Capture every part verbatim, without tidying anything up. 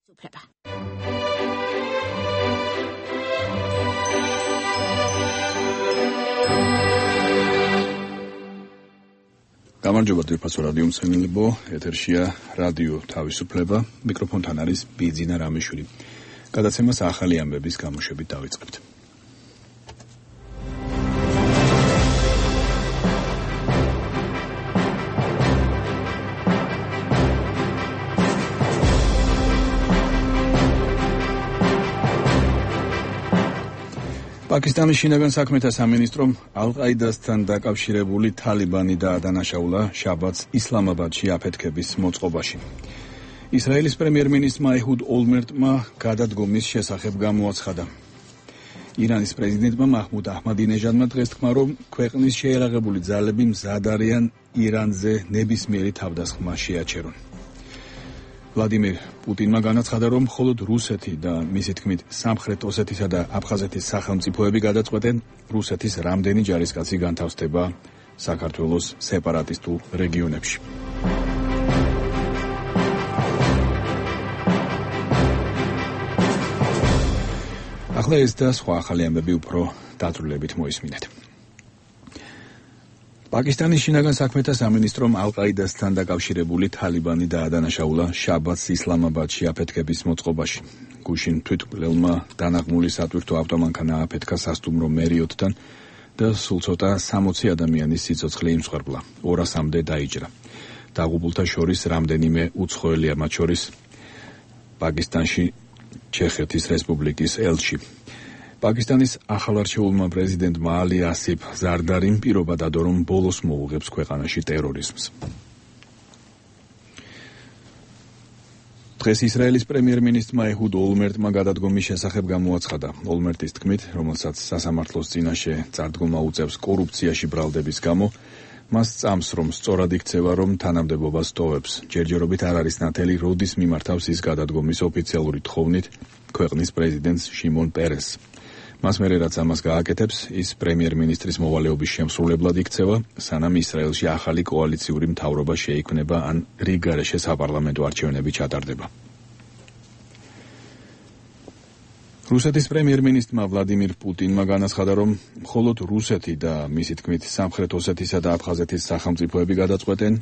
თავისუფლება. გამარჯობა დირფასო რადიო მსმენელებო, ეთერშია რადიო თავისუფლება, მიკროფონთან არის ბიძინა რამიშვილი. გადაცემას ახალი ამბების გამოშვებით დავიწყებთ. პაკისტანის შინაგან საქმეთა სამინისტრომ ალ-ყაიდასთან დაკავშირებული თალიბანი დაადანაშაულა შაბათს ისლამაბადში აფეთქების მოწყობაში. ისრაელის პრემიერ-მინისტრმა ეჰუდ ოლმერტმა გადადგომის შესახებ გამოაცხადა. ირანის პრეზიდენტმა მაჰმუდ აჰმადინეჟადმა დღეს თქვა, რომ ქვეყნის შეიარაღებული ძალები მზად არიან ირანზე ნებისმიერი თავდასხმა შეაჩერონ. ვლადიმირ პუტინმა განაცხადა, რომ მხოლოდ რუსეთი და მისი თქმით სამხრეთ ოსეთისა და აფხაზეთის სახელმწიფოები გადაწყვეტენ რუსეთის რამდენი ჯარისკაცი განთავსდება საქართველოს სეპარატისტულ რეგიონებში. ახლა ეს და სხვა ახალი ამბები უფრო დაწვრილებით მოისმინეთ. პაკისტანის შინაგან საქმეთა სამინისტრომ ალ-ყაიდასთან დაკავშირებული თალიბანი დაადანაშაულა შაბათს ისლამაბადში აფეთქების მოწყობაში. გუშინ თვითმკვლელმა დანაღმული სატვირთო ავტომანქანა ააფეთქა სასტუმრო მერიოტთან და სულ ცოტა სამოცი ადამიანის სიცოცხლე იმსხვერპლა, ორასამდე დაიჭრა. დაღუპულთა შორის რამდენიმე უცხოელია, მათ შორის პაკისტანში ჩეხეთის რესპუბლიკის ელჩი. პაკისტანის ახალარჩეულმა პრეზიდენტმა ალი ასიფ ზარდარიმ პირობა დადო, რომ ბოლოს მოუღებს ქვეყანაში ტერორიზმს. დღეს ისრაელის პრემიერ-მინისტრმა ეჰუდ ოლმერტმა გადადგომის შესახებ გამოაცხადა. ოლმერტის თქმით, რომელსაც სასამართლოს წინაშე წარდგომა უწევს კორუფციაში ბრალდების გამო, მას წამს, რომ სწორად იქცევა, რომ თანამდებობას ტოვებს. ჯერჯერობით არ არის ნათელი, როდის მიმართავს ის გადადგომის ოფიციალური თხოვნით ქვეყნის პრეზიდენტს შიმონ პერესს. მას მერე რაც ამას გააკეთებს, ის პრემიერ-მინისტრის მოვალეობის შემსრულებლად იქცევა, სანამ ისრაელში ახალი კოალიციური მთავრობა შეიქმნება ან რიგგარეშე საპარლამენტო არჩევნები ჩატარდება. რუსეთის პრემიერ-მინისტრმა ვლადიმირ პუტინმა განაცხადა, რომ მხოლოდ რუსეთი და მისი თქმით სამხრეთ ოსეთისა და აფხაზეთის სახელმწიფოები გადაწყვეტენ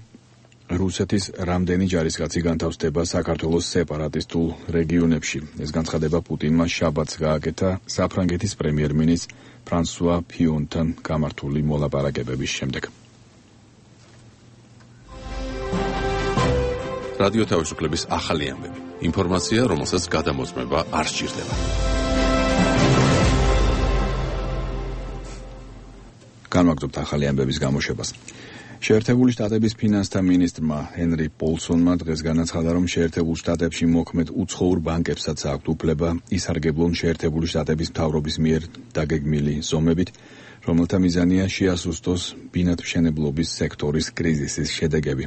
რუსეთის რამდენი ჯარისკაცი განთავსდება საქართველოს სეპარატისტულ რეგიონებში. ეს განცხადება პუტინმა შაბათს გააკეთა საფრანგეთის პრემიერ-მინისტრ ფრანსუა ფიონთან გამართული მოლაპარაკებების შემდეგ. რადიო თავისუფლების ახალი ამბები. ინფორმაცია, რომელსაც გადამოწმება არ სჭირდება. განვაგრძობთ ახალი ამბების გამოშვებას. შეერთებული შტატების ფინანსთა მინისტრმა ჰენრი პოლსონმა დღეს განაცხადა, რომ შეერთებულ შტატებში მოქმედ უცხოურ ბანკებსაც აქვთ უფლება ისარგებლონ შეერთებული შტატების მთავრობის მიერ დაგეგმილი ზომებით, რომელთა მიზანია შეასუსტოს ბინადმშენებლობის სექტორის კრიზისის შედეგები.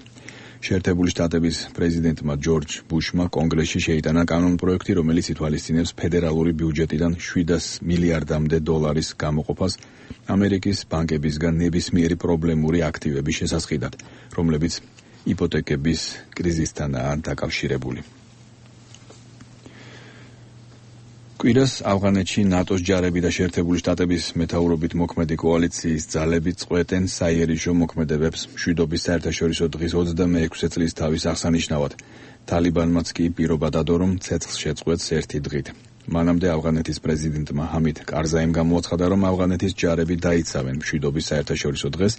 შეერთებული შტატების პრეზიდენტმა ჯორჯ ბუშმა კონგრესში შეიტანა კანონპროექტი, რომელიც ითვალისწინებს ფედერალური ბიუჯეტიდან შვიდას მილიარდამდე დოლარის გამოყოფას ამერიკის ბანკებისგან ნებისმიერი პრობლემური აქტივების შესასყიდად, რომლებიც იპოთეკების კრიზისთანაა დაკავშირებული. კვირას ავღანეთში ნატოს ჯარები და შეერთებული შტატების მეთაურობით მოქმედი კოალიციის ძალები წყვეტენ საიერიჟო მოქმედებებს მშვიდობის საერთაშორისო დღის ოცდამეექვსე წლის თავის აღსანიშნავად. თალიბანმაც კი პირობა დადო, რომ ცეცხლს შეწყვეტს ერთი დღით. მანამდე ავღანეთის პრეზიდენტმა ჰამიდ კარზაიმ გამოაცხადა, რომ ავღანეთის ჯარები დაიცავენ მშვიდობის საერთაშორისო დღეს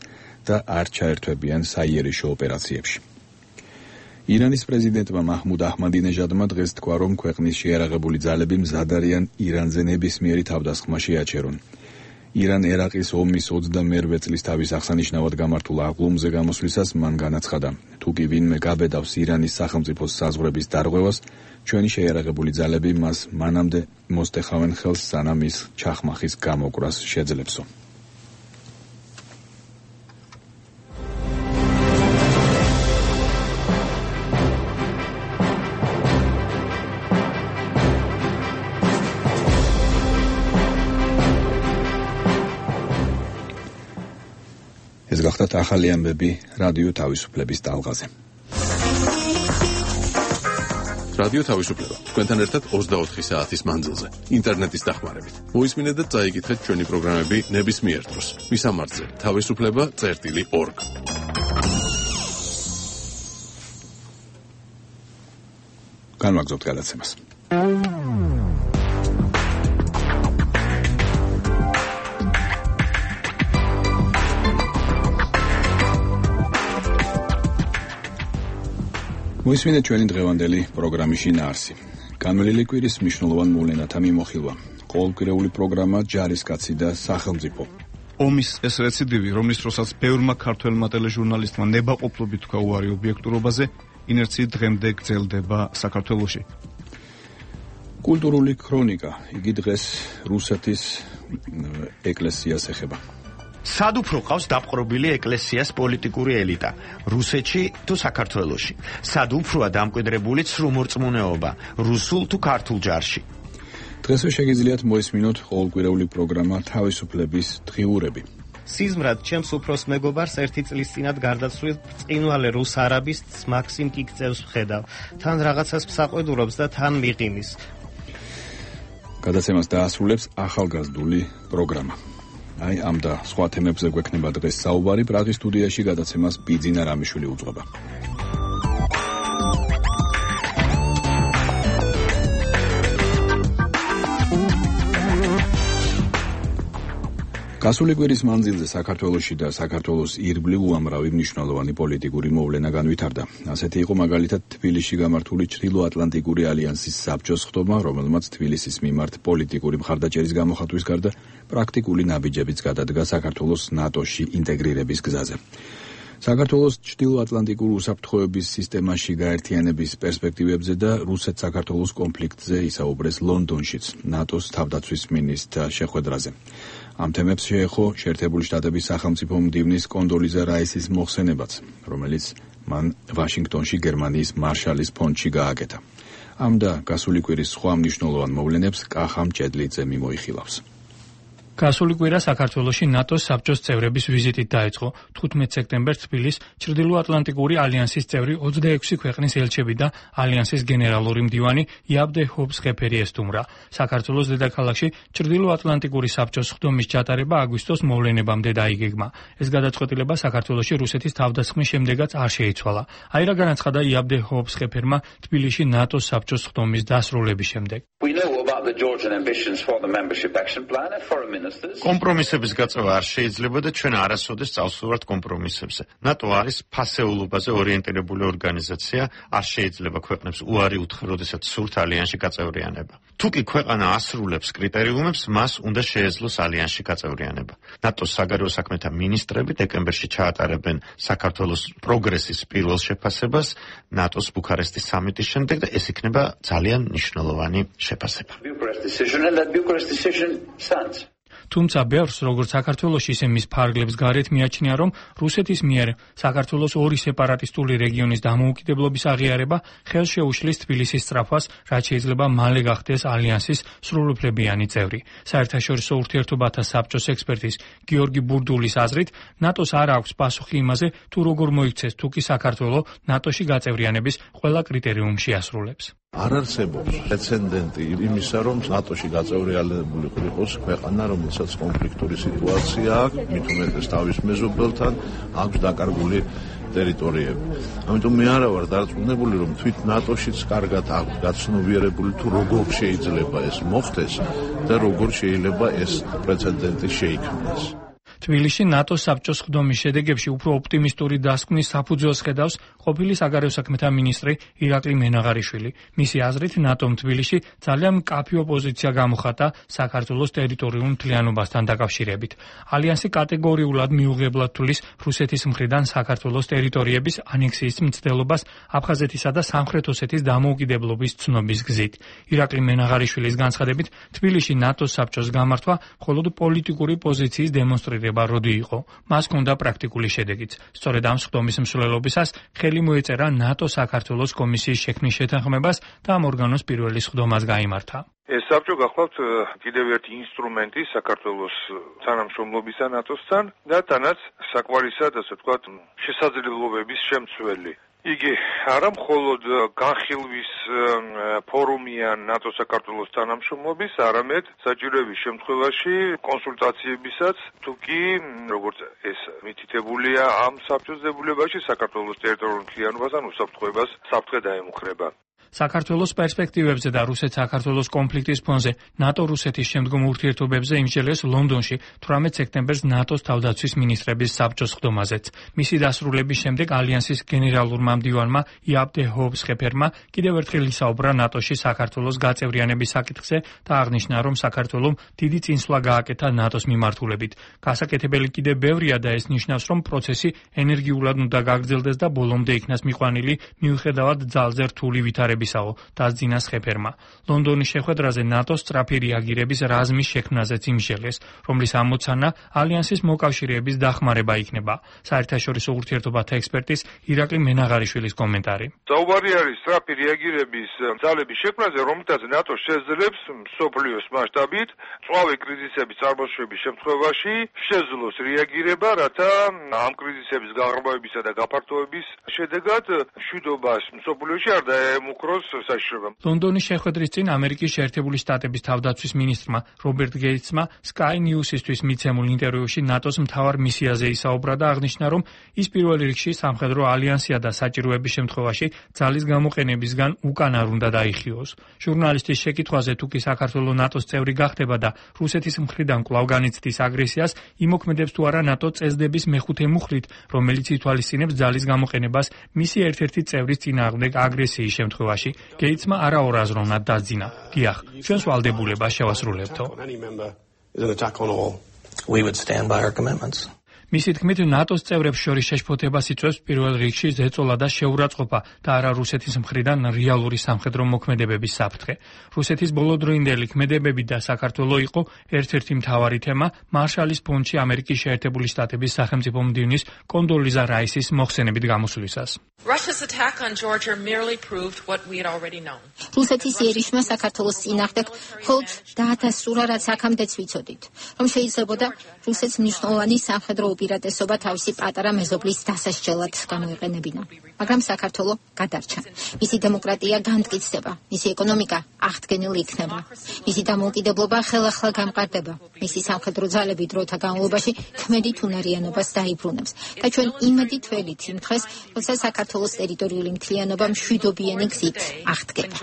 და არ ჩაერთვებიან საიერიჟო ოპერაციებში. ირანის პრეზიდენტმა მაჰმუდ აჰმადინეჟადმა დღეს თქვა, რომ ქვეყნის შეიარაღებული ძალები მზად არიან ირანზე ნებისმიერი თავდასხმა შეაჩერონ. ირან-ერაყის ომის ოცდამეერვე წლის თავის აღსანიშნავად გამართულ აღლუმზე გამოსვლისას მან განაცხადა, თუ კი ვინმე გაბედავს ირანის სახელმწიფოს საზღვრების დარღვევას, ჩვენი შეიარაღებული ძალები მას მანამდე მოსტეხავენ ხელს, სანამ ის ჩახმახის გამოკვრას შეძლებსო. ეს გახდათ ახალი ამბები რადიო თავისუფლების ტალღაზე. რადიო თავისუფლება. თქვენთან ერთად ოცდაოთხი საათის მანძილზე, ინტერნეტის დახმარებით. მოისმინეთ და წაიკითხეთ ჩვენი პროგრამები ნებისმიერ დროს. მისამართზე თავისუფლება წერტილი ორგ. განვაგრძობთ გადაცემას. მოისმინეთ ჩვენი დღევანდელი პროგრამის შინაარსი. განვლილი კვირის მნიშვნელოვან მოვლენათა მიმოხილვა. ყოველკვირეული პროგრამა ჯარისკაცი და სახელმწიფო. ომის ეს რეციდივი, რომლის დროსაც ბევრმა ქართველმა ტელეჟურნალისტმა ნებაყოფლობით თქვა უარი ობიექტურობაზე, ინერციით დღემდე გრძელდება საქართველოში. კულტურული ქრონიკა. იგი დღეს რუსეთის ეკლესიას ეხება. სად უფრო ყავს დაპყრობილი ეკლესიას პოლიტიკური ელიტა, რუსეთში თუ საქართველოში? სად უფროა დამკვიდრებული ცრუმორწმუნეობა, რუსულ თუ ქართულ ჯარში? დღესვე შეგიძლიათ მოისმინოთ ყოველკვირეული პროგრამა თავისუფლების დღიურები. სიზმრად ჩემს უფროს მეგობარს ერთი წლის წინათ გარდაცვლილ ბრწყინვალე რუს არაბის მაქსიმ კიკწევს ვხედავ. თან რაღაცას მსაყვედურობს და თან მიყინის. გადაცემას დაასრულებს ახალგაზრდული პროგრამა. აი ამ და სხვა თემებზე გვექნება დღეს საუბარი. პრაღის სტუდიაში გადაცემას ბიძინა რამიშვილი უძღვება. გასული კვირის მანძილზე საქართველოში და საქართველოს ირგვლივ უამრავი მნიშვნელოვანი პოლიტიკური მოვლენა განვითარდა. ასეთი იყო მაგალითად თბილისში გამართული ჩრდილოატლანტიკური ალიანსის საბჭოს ხდომა, რომელმაც თბილისის მიმართ პოლიტიკური მხარდაჭერის გამოხატვის გარდა პრაქტიკული ნაბიჯებიც გადადგა საქართველოს ნატოში ინტეგრირების გზაზე. საქართველოს ჩრდილოატლანტიკურ უსაფრთხოების სისტემაში გაერთიანების პერსპექტივებზე და რუსეთ-საქართველოს კონფლიქტზე ისაუბრეს ლონდონშიც ნატოს თავდაცვის მინისტრთა შეხვედრაზე. ამ თემებს შეეხო შეერთებული შტატების სახელმწიფო მდივნის კონდოლიზა რაისის მოხსენებაც, რომელიც მან ვაშინგტონში გერმანიის მარშალის ფონდში გააკეთა. ამ და გასული კვირის სხვა მნიშვნელოვან მოვლენებს კახა მჭედლიძე მიმოიხილავს. გასული კვირა საქართველოში ნატოს საბჭოს წევრების ვიზიტით დაიწყო. თხუთმეტ სექტემბერს თბილის ჩრდილოატლანტიკური ალიანსის წევრი ოცდაექვსი ქვეყნის ელჩები და ალიანსის გენერალური მდივანი იაბდე ჰობს-ხეფერი ესტუმრა. საქართველოს დედაქალაქში ჩრდილოატლანტიკური საბჭოს ხდომის ჩატარება აგვისტოს მოვლენებამდე დაიგეგმა. ეს გადაწყვეტილება საქართველოში რუსეთის თავდასხმის შემდეგაც არ შეიცვალა. აი რა განაცხადა იაბდე ჰობს-ხეფერმა თბილისში ნატოს საბჭოს ხდომის დასრულების შემდეგ. კომპრომისების გაწევა არ შეიძლება და ჩვენ არასოდეს წავსულვართ კომპრომისებზე. ნატო არის ფასეულობაზე ორიენტირებული ორგანიზაცია, არ შეიძლება ქვეყნებს უარი უთხრა, როდესაც სურთ ალიანსში გაწევრიანება. თუ კი ქვეყანა ასრულებს კრიტერიუმებს, მას უნდა შეეძლოს ალიანსში გაწევრიანება. ნატოს საგარეო საქმეთა მინისტრები დეკემბერში ჩაატარებენ საქართველოს პროგრესის პირველ შეფასებას ნატოს ბუქარესტის სამიტის შემდეგ და ეს იქნება ძალიან მნიშვნელოვანი შეფასება. თუმცა ბევრს, როგორც საქართველოში, ისე მის ფარგლებს გარეთ მიაჩნია, რომ რუსეთის მიერ საქართველოს ორი სეპარატისტული რეგიონის დამოუკიდებლობის აღიარება ხელს შეუშლის თბილისის სწრაფვას, რაც შეიძლება მალე გახდეს ალიანსის სრულუფლებიანი წევრი. საერთაშორისო ურთიერთობათა საბჭოს ექსპერტის გიორგი ბურდულის აზრით, ნატოს არ აქვს პასუხი იმაზე, თუ როგორ მოიქცეს თუ კი საქართველო ნატოში გაწევრიანების ყველა კრიტერიუმს შეასრულებს. არ არსებობს პრეცედენტი იმისა, რომ ნატოში გაწევრიანებული იყოს ქვეყანა, რომელსაც კონფლიქტური სიტუაცია აქვს, მით უმეტეს თავის მეზობელთან, აქვს დაკარგული ტერიტორიები. ამიტომ მე არა ვარ დარწმუნებული, რომ თვით ნატოშიც კარგად აქვს გაცნობიერებული თუ როგორ შეიძლება ეს მოხდეს და როგორ შეიძლება ეს პრეცედენტი შეიქმნას. თბილისში ნატოს საბჭოს ხდომის შედეგებში უფრო ოპტიმისტური დასკვნის საფუძველს ხედავს ყოფილი საგარეო საქმეთა მინისტრი ირაკლი მენაღარიშვილი. მისი აზრით, ნატომ თბილისში ძალიან მკაფიო პოზიცია გამოხატა საქართველოს ტერიტორიულ მთლიანობასთან დაკავშირებით. ალიანსი კატეგორიულად მიუღებლად თვლის რუსეთის მხრიდან საქართველოს ტერიტორიების ანექსიის მცდელობას აფხაზეთისა და სამხრეთ ოსეთის დამოუკიდებლობის ცნობის გზით. ირაკლი მენაღარიშვილის განცხადებით, თბილისში ნატოს საბჭოს გამართვა მხოლოდ პოლიტიკური პოზიციის დემონსტრირება როდი იყო, მას ჰქონდა პრაქტიკული შედეგიც. სწორედ ამ სხდომის მსვლელობისას ხელი მოეწერა ნატო-საქართველოს კომისიის შექმნის შეთანხმებას და ამ ორგანოს პირველი სხდომაც გაიმართა. ეს საბჭო გახლავთ კიდევ ერთი ინსტრუმენტი საქართველოს თანამშრომლობისა ნატოსთან და თანაც საკვარისად, ასე ვთქვათ, შესაძლებლობების შემცველი. იგი არა მხოლოდ განხილვის ფორუმია ნატო საქართველოს თანამშრომლობის, არამედ საჭიროების შემთხვევაში კონსულტაციებისაც, თუ კი როგორც ეს მითითებულია ამ საბჭოს დებულებაში საქართველოს ტერიტორიულ მთლიანობასთან უსაფრთხოებას საფრთხე დაემუქრება. საქართველოს პერსპექტივებზე და რუსეთ-საქართველოს კონფლიქტის ფონზე ნატო-რუსეთის შემდგომ ურთიერთობებზე იმსჯელეს ლონდონში თვრამეტ სექტემბერს ნატოს თავდაცვის მინისტრების საბჭოს ხდომაზეც. მისი დასრულების შემდეგ ალიანსის გენერალურმა მდივანმა იაპ დე ჰოუბსხეფერმა კიდევ ერთხელ ისაუბრა ნატოში საქართველოს გაწევრიანების საკითხზე და აღნიშნა, რომ საქართველომ დიდი წინსვლა გააკეთა ნატოს მიმართულებით. გასაკეთებელი კიდევ ბევრია და ეს ნიშნავს, რომ პროცესი ენერგიულად უნდა გაგრძელდეს და ბოლომდე იქნას მიყვანილი მიუხედავად ძალზე რთული ვითარებისა. დასძინა სხეფერმა. ლონდონის შეხვედრაზე ნატოს სწრაფი რეაგირების რაზმის შექმნაზეც იმსჯელეს, რომლის ამოცანა ალიანსის მოკავშირეების დახმარება იქნება. საერთაშორისო ურთიერთობათა ექსპერტის ირაკლი მენაღარიშვილის კომენტარი. საუბარი არის სწრაფი რეაგირების ძალების შექმნაზე, რომლითაც ნატო შეძლებს მსოფლიოს მასშტაბით წვავე კრიზისების წარმოშობის შემთხვევაში შეძლოს რეაგირება, რათა ამ კრიზისების გაღრმავებისა და გაფართოების შედეგად მშვიდობას მსოფლიოში არ დაემუქროს. ლონდონის შეხვედრის წინ ამერიკის შეერთებული შტატების თავდაცვის მინისტრმა რობერტ გეიტსმა Sky News-ისთვის მიცემულ ინტერვიუში ნატოს მთავარ მისიაზე ისაუბრა და აღნიშნა, რომ ის პირველ რიგში სამხედრო ალიანსია და საჭიროების შემთხვევაში ძალის გამოყენებისგან უკან არ უნდა დაიხიოს. ჟურნალისტის შეკითხვაზე, თუ კი საქართველოს ნატოს წევრი გახდება და რუსეთის მხრიდან კვლავ განიცდის აგრესიას, იმოქმედებს თუ არა ნატო წესდების მეხუთე მუხლით, რომელიც ითვალისწინებს ძალის გამოყენებას მისი ერთ-ერთი წევრის წინააღმდეგ აგრესიის შემთხვევაში. გეიტსმა არაორაზროვნად დაძინა. დიახ, ჩვენს ვალდებულებას შევასრულებთო. მისი თქმით, ნატოს წევრებს შორის შეშფოთებას იწვევს პირველ რიგში ზეწოლა და შეურაცხყოფა და არა რუსეთის მხრიდან რეალური სამხედრო მოქმედებების საფრთხე. რუსეთის ბოლოდროინდელი ქმედებები და საქართველო იყო ერთ-ერთი მთავარი თემა მარშალის ფონდში ამერიკის შეერთებული შტატების სახელმწიფო მდივნის კონდოლიზა რაისის მოხსენებით გამოსვლისას. რუსეთის იერიშმა საქართველოს წინააღმდეგ მხოლოდ დაადასტურა, რაც აქამდეც ვიცოდით, რომ შეიძლებოდა რუსეთს მნიშვნელოვანი სამხედრო უპირატესობა თავისი პატარა მეზობლის დასასჯელად გამოიყენებინა. მაგრამ საქართველო გადარჩა. მისი დემოკრატია განმტკიცდება, მისი ეკონომიკა აღდგენილი იქნება. მისი დამოუკიდებლობა ხელახლა გამყარდება. მისი სამხედრო ძალები დროთა განმავლობაში ქმედით უნარიანობას დაიბრუნებს. და ჩვენ იმედით ველით იმ დღეს, როცა საქართველოს ტერიტორიული მთლიანობა მშვიდობიანი გზით აღდგება.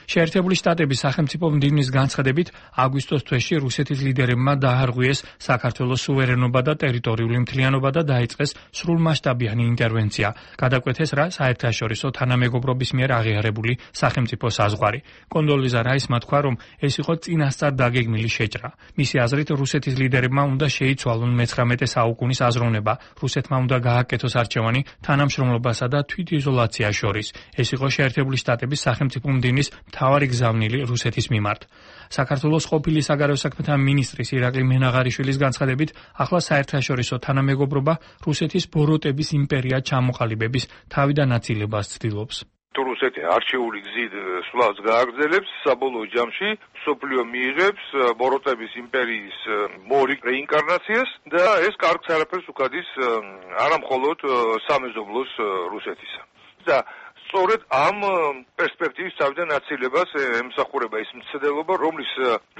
შეერთებული შტატების სახელმწიფო მდივნის განცხადებით, აგვისტოს თვეში რუსეთის ლიდერებმა დაარღვიეს საქართველოს სუვერენობა და ტერიტორიული მთლიანობა და დაიწყეს სრულმასშტაბიანი ინტერვენცია. გადაკვეთეს რა საერთაშორისო თანამეგობრობის მიერ აღიარებული სახელმწიფო საზღვარი. კონდოლიზა რაისმა თქვა, რომ ეს იყო წინასწარ დაგეგმილი შეჭრა. მისი აზრით, რუსეთის ლიდერებმა უნდა შეიცვალონ მეცხრამეტე საუკუნის აზროვნება, რუსეთმა უნდა გააკეთოს არჩევანი თანამშრომლობასა და თვითიზოლაციას შორის. ეს იყო შეერთებული შტატების სახელმწიფო მდივნის მთავარი გზავნილი რუსეთის მიმართ. საქართველოს ყოფილი საგარეო საქმეთა მინისტრის ირაკლი მენაღარიშვილის განცხადებით, ახლა საერთაშორისო თანამეგობრობა რუსეთის ბოროტების იმპერია ჩამოყალიბების თავიდანაწილებას ცდილობს. თუ რუსეთი არჩეული გზით სვლავს გააგრძელებს, საბოლოო ჯამში მსოფლიო მიიღებს ბოროტების იმპერიის მორი რეინკარნაციას და ეს კარგ არაფერს უკადის არა მხოლოდ სამეზობლოს რუსეთისა. და სწორედ ამ პერსპექტივის თავიდან აცილებას ემსახურება ის მცდელობა, რომლის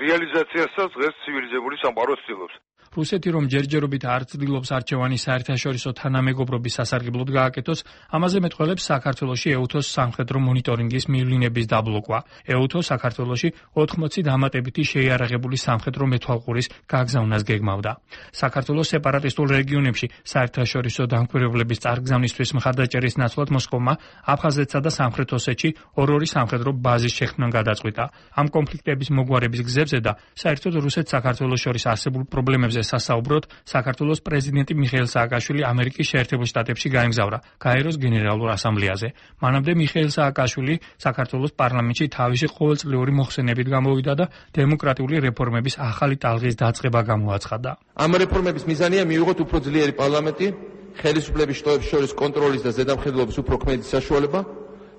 რეალიზაციასაც დღეს ცივილიზებული სამყარო ცდილობს. რუსეთი რომ ჯერჯერობით არ ცდილობს არჩევანი საერთაშორისო თანამეგობრობის სასარგებლოდ გააკეთოს, ამაზე მეტყველებს საქართველოში ეუთოს სამხედრო მონიტორინგის მივლინების დაბლოკვა. ეუთო საქართველოში ოთხმოცი დამატებითი შეიარაღებული სამხედრო მეთვალყურის გაგზავნას გეგმავდა. საქართველოს სეპარატისტულ რეგიონებში საერთაშორისო დამკვირვებლების წარგზავნისთვის მხარდაჭერის ნაცვლად მოსკოვმა აფხაზეთსა და სამხრეთ ოსეთში ორ-ორი სამხედრო ბაზის შექმნა გადაწყვიტა. ამ კონფლიქტების მოგვარების გზებზე და საერთოდ რუსეთ-საქართველოს შორის არსებულ პრობლემებზე სასაუბროდ საქართველოს პრეზიდენტი მიხეილ სააკაშვილი ამერიკის შეერთებულ შტატებში გაემგზავრა გაეროს გენერალურ ასამბლეაზე. მანამდე მიხეილ სააკაშვილი საქართველოს პარლამენტში თავისი ყოველწლიური მოხსენებით გამოვიდა და დემოკრატიული რეფორმების ახალი ტალღის დაწყება გამოაცხადა. ამ რეფორმების მიზანია მივიღოთ უფრო ძლიერი პარლამენტი, ხელისუფლების შტოებს შორის კონტროლის და ზედამხედველობის უფრო ქმედი საშუალება,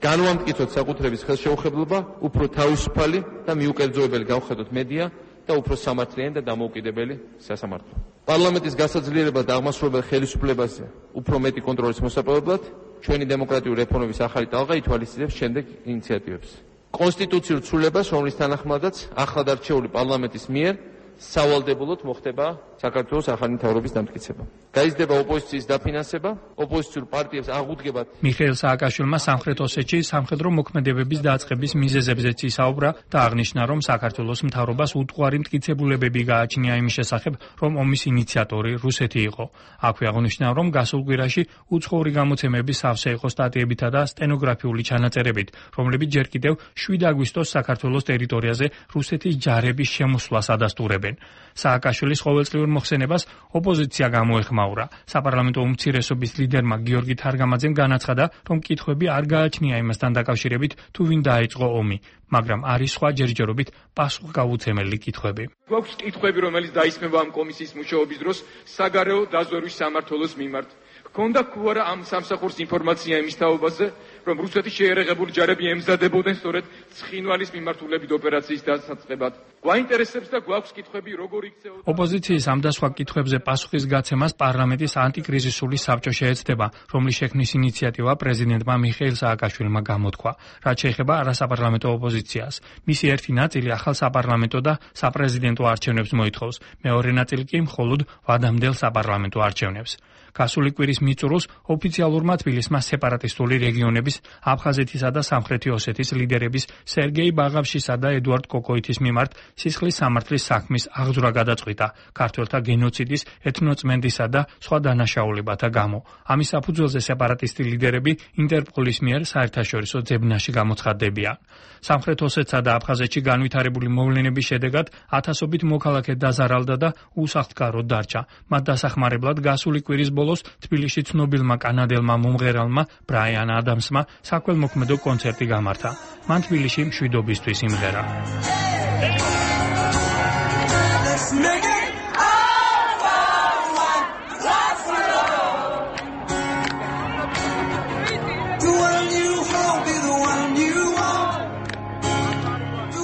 განვამტკიცოთ საკუთრების ხელშეუხებლობა, უფრო თავისუფალი და მიუკერძოებელი გავხედოთ მედია და უფრო სამართლიანი და დამოუკიდებელი სასამართლო. პარლამენტის გასაძლიერებლად და აღმასრულებელ ხელისუფლებაზე უფრო მეტი კონტროლის მოსაპოვებლად ჩვენი დემოკრატიული რეფორმების ახალი ტალღა ითვალისწინებს შემდეგ ინიციატივებს. კონსტიტუციურ ცვლილებას, რომლის თანახმადაც ახლად არჩეული პარლამენტის მიერ სავალდებულოდ მოხდება საქართველოს ახალი მთავრობის დამტკიცება. გაიზრდება ოპოზიციის დაფინანსება, ოპოზიციურ პარტიებს აღუდგებათ. მიხეილ სააკაშვილმა სამხრეთ ოსეთში სამხედრო მოქმედებების დაწყების მიზეზებზეც ისაუბრა და აღნიშნა, რომ საქართველოს მთავრობას უტყუარი მტკიცებულებები გააჩნია იმის შესახებ, რომ ომის ინიციატორი რუსეთი იყო. აქვე აღნიშნა, რომ გასულ კვირაში უცხოური გამოცემების სავსე იყო სტატიებითა და სტენოგრაფიული ჩანაწერებით, რომლებიც ჯერ კიდევ შვიდ აგვისტოს საქართველოს ტერიტორიაზე რუსეთის ჯარების შემოსვლას ადასტურებენ. სააკაშვილის ყოველწლიურ მოხსენებას ოპოზიცია გამოეხმაურა. საპარლამენტო უმცირესობის ლიდერმა გიორგი თარგამაძემ განაცხადა, რომ კითხვები არ გააჩნია იმასთან დაკავშირებით, თუ ვინ დაიწყო ომი, მაგრამ არის სხვა ჯერჯერობით პასუხგავუცემელი კითხვები. გვაქვს კითხვები, რომელიც დაისმება ამ კომისიის მუშაობის დროს საგარეო დაზვერვის სამმართველოს მიმართ. ჰქონდა თუ არა ამ სამსახურს ინფორმაცია იმის თაობაზე, რომ რუსეთის შეერაღებული ჯარები ემზადებოდნენ სწორედ ცხინვალის მიმართულებით ოპერაციის დასაწყებად. გვაინტერესებს და გვაქვს კითხვები, როგორ იქცეოდა. ოპოზიციის ამ და სხვა კითხვებზე პასუხის გაცემას პარლამენტის ანტიკრიზისული საბჭო შეეცდება, რომლის შექმნის ინიციატივა პრეზიდენტმა მიხეილ სააკაშვილმა გამოთქვა. რაც შეეხება არასაპარლამენტო ოპოზიციას, მისი ერთი ნაწილი ახალ საპარლამენტო და საპრეზიდენტო არჩევნებს მოითხოვს, მეორე ნაწილი კი მხოლოდ ვადამდელ საპარლამენტო არჩევნებს. გასული კვირის მიწურულს ოფიციალურმა თბილისმა სეპარატისტული რეგიონების აფხაზეთისა და სამხრეთი ოსეთის ლიდერების სერგეი ბაღავშისა და ედუარდ კოკოითის მიმართ სისხლის სამართლის საქმის აღძვრა გადაწყვიტა ქართველთა გენოციდის, ეთნოწმენდისა და სხვა დანაშაულებათა გამო. ამის საფუძველზე სეპარატისტი ლიდერები ინტერპოლის მიერ საერთაშორისო ძებნაში გამოცხადდებიან. სამხრეთ ოსეთსა და აფხაზეთში განვითარებული მოვლენების შედეგად ათასობით მოქალაქე დაზარალდა და უსახლკაროდ დარჩა. მათ დასახმარებლად გასული კვირის ბოლოს თბილისში ცნობილმა კანადელმა მომღერალმა ბრაიან ადამსმა საქველმოქმედო კონცერტი გამართა. მან თბილისში მშვიდობისთვის იმღერა.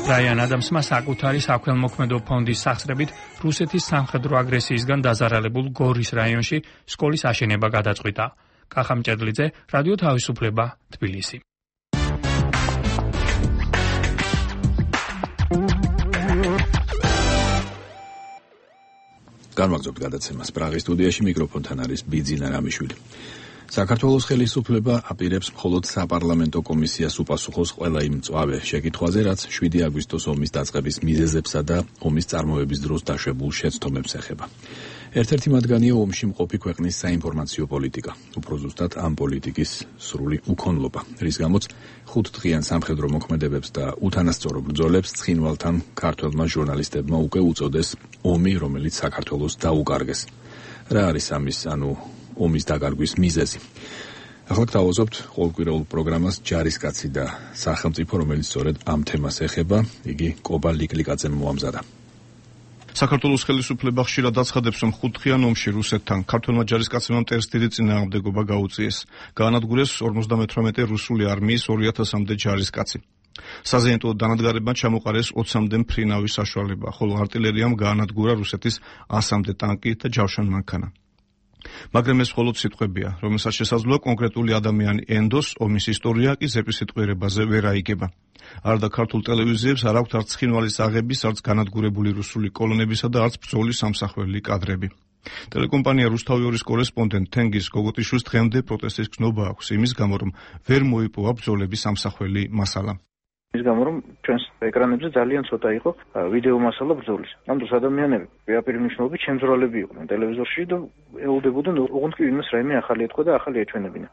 ბრაიან ადამსმა საკუთარი საქველმოქმედო ფონდის სახსრებით რუსეთის სამხედრო აგრესიისგან დაზარალებულ გორის რაიონში სკოლის აშენება გადაწყვიტა. კახა მჭედლიძე, რადიო თავისუფლება, თბილისი. განვაგრძობთ გადაცემას. პრაღის სტუდიაში მიკროფონთან არის ბიძინა რამიშვილი. საქართველოს ხელისუფლება აპირებს მხოლოდ საპარლამენტო კომისიას უპასუხოს ყველა იმ მწვავე შეკითხვაზე, რაც შვიდი აგვისტოს ომის დაწყების მიზეზებსა და ომის წარმოების დროს დაშვებულ შეცდომებს ეხება. ერთ-ერთი მათგანია ომში მყოფი ქვეყნის საინფორმაციო პოლიტიკა, უფრო ზუსტად ამ პოლიტიკის სრული უქონლობა, რის გამოც ხუთდღიან სამხედრო მოქმედებებს და უთანასწორო ბრძოლებს ცხინვალთან ქართველმა ჟურნალისტებმა უკვე უწოდეს ომი, რომელიც საქართველოს დაუკარგეს. რა არის ამის, ანუ ომის დაკარგვის მიზეზი? ახლა გთავაზობთ ყოველკვირეულ პროგრამას ჯარისკაცი და სახელმწიფო, რომელიც სწორედ ამ თემას ეხება, იგი კობა ლიკლიკაძემ მოამზადა. საქართველოს ხელისუფლება ხშირად აცხადებს, რომ ხუთდღიან ომში რუსეთთან ქართველმა ჯარისკაცებმა მტერს დიდი წინააღმდეგობა გაუწიეს. გაანადგურეს ორმოცდამეთვრამეტე რუსული არმიის ორი ათასამდე ჯარისკაცი. საზეიმო დანადგარებმა ჩამოყარეს ოცამდე მფრინავის საშუალება, ხოლო არტილერიამ გაანადგურა რუსეთის ასამდე ტანკი და ჯავშან მანქანა. მაგრამ ეს მხოლოდ სიტყვებია, რომელსაც შესაძლოა კონკრეტული ადამიანი ენდოს, ომის ისტორია კი ზეპის სიტყვიერებაზე ვერ აიგება. არდა ქართულ ტელევიზიებს არ აქვთ არც ცხინვალის აღების, არც განადგურებული რუსული კოლონებისა და არც ბრძოლის სამსახველი კადრები. ტელეკომპანია რუსთავიორის კორესპონდენტ თენგიზ გოგოტიშვილს დღემდე პროტესტის გზნობა აქვს, იმის გამო, რომ ვერ მოიპოვა ბრძოლების სამსახველი მასალა. ის გამო, რომ ჩვენს ეკრანებზე ძალიან ცოტა იყო ვიდეო მასალა ბრძოლის. ამ დროს ადამიანები პირდაპირ მნიშვნელობით შემძრალები იყვნენ ტელევიზორში და ეულდებოდნენ, ოღონდ კი ვინმეს რაიმე ახალი ეთქვა და ახალი ეჩვენებინა.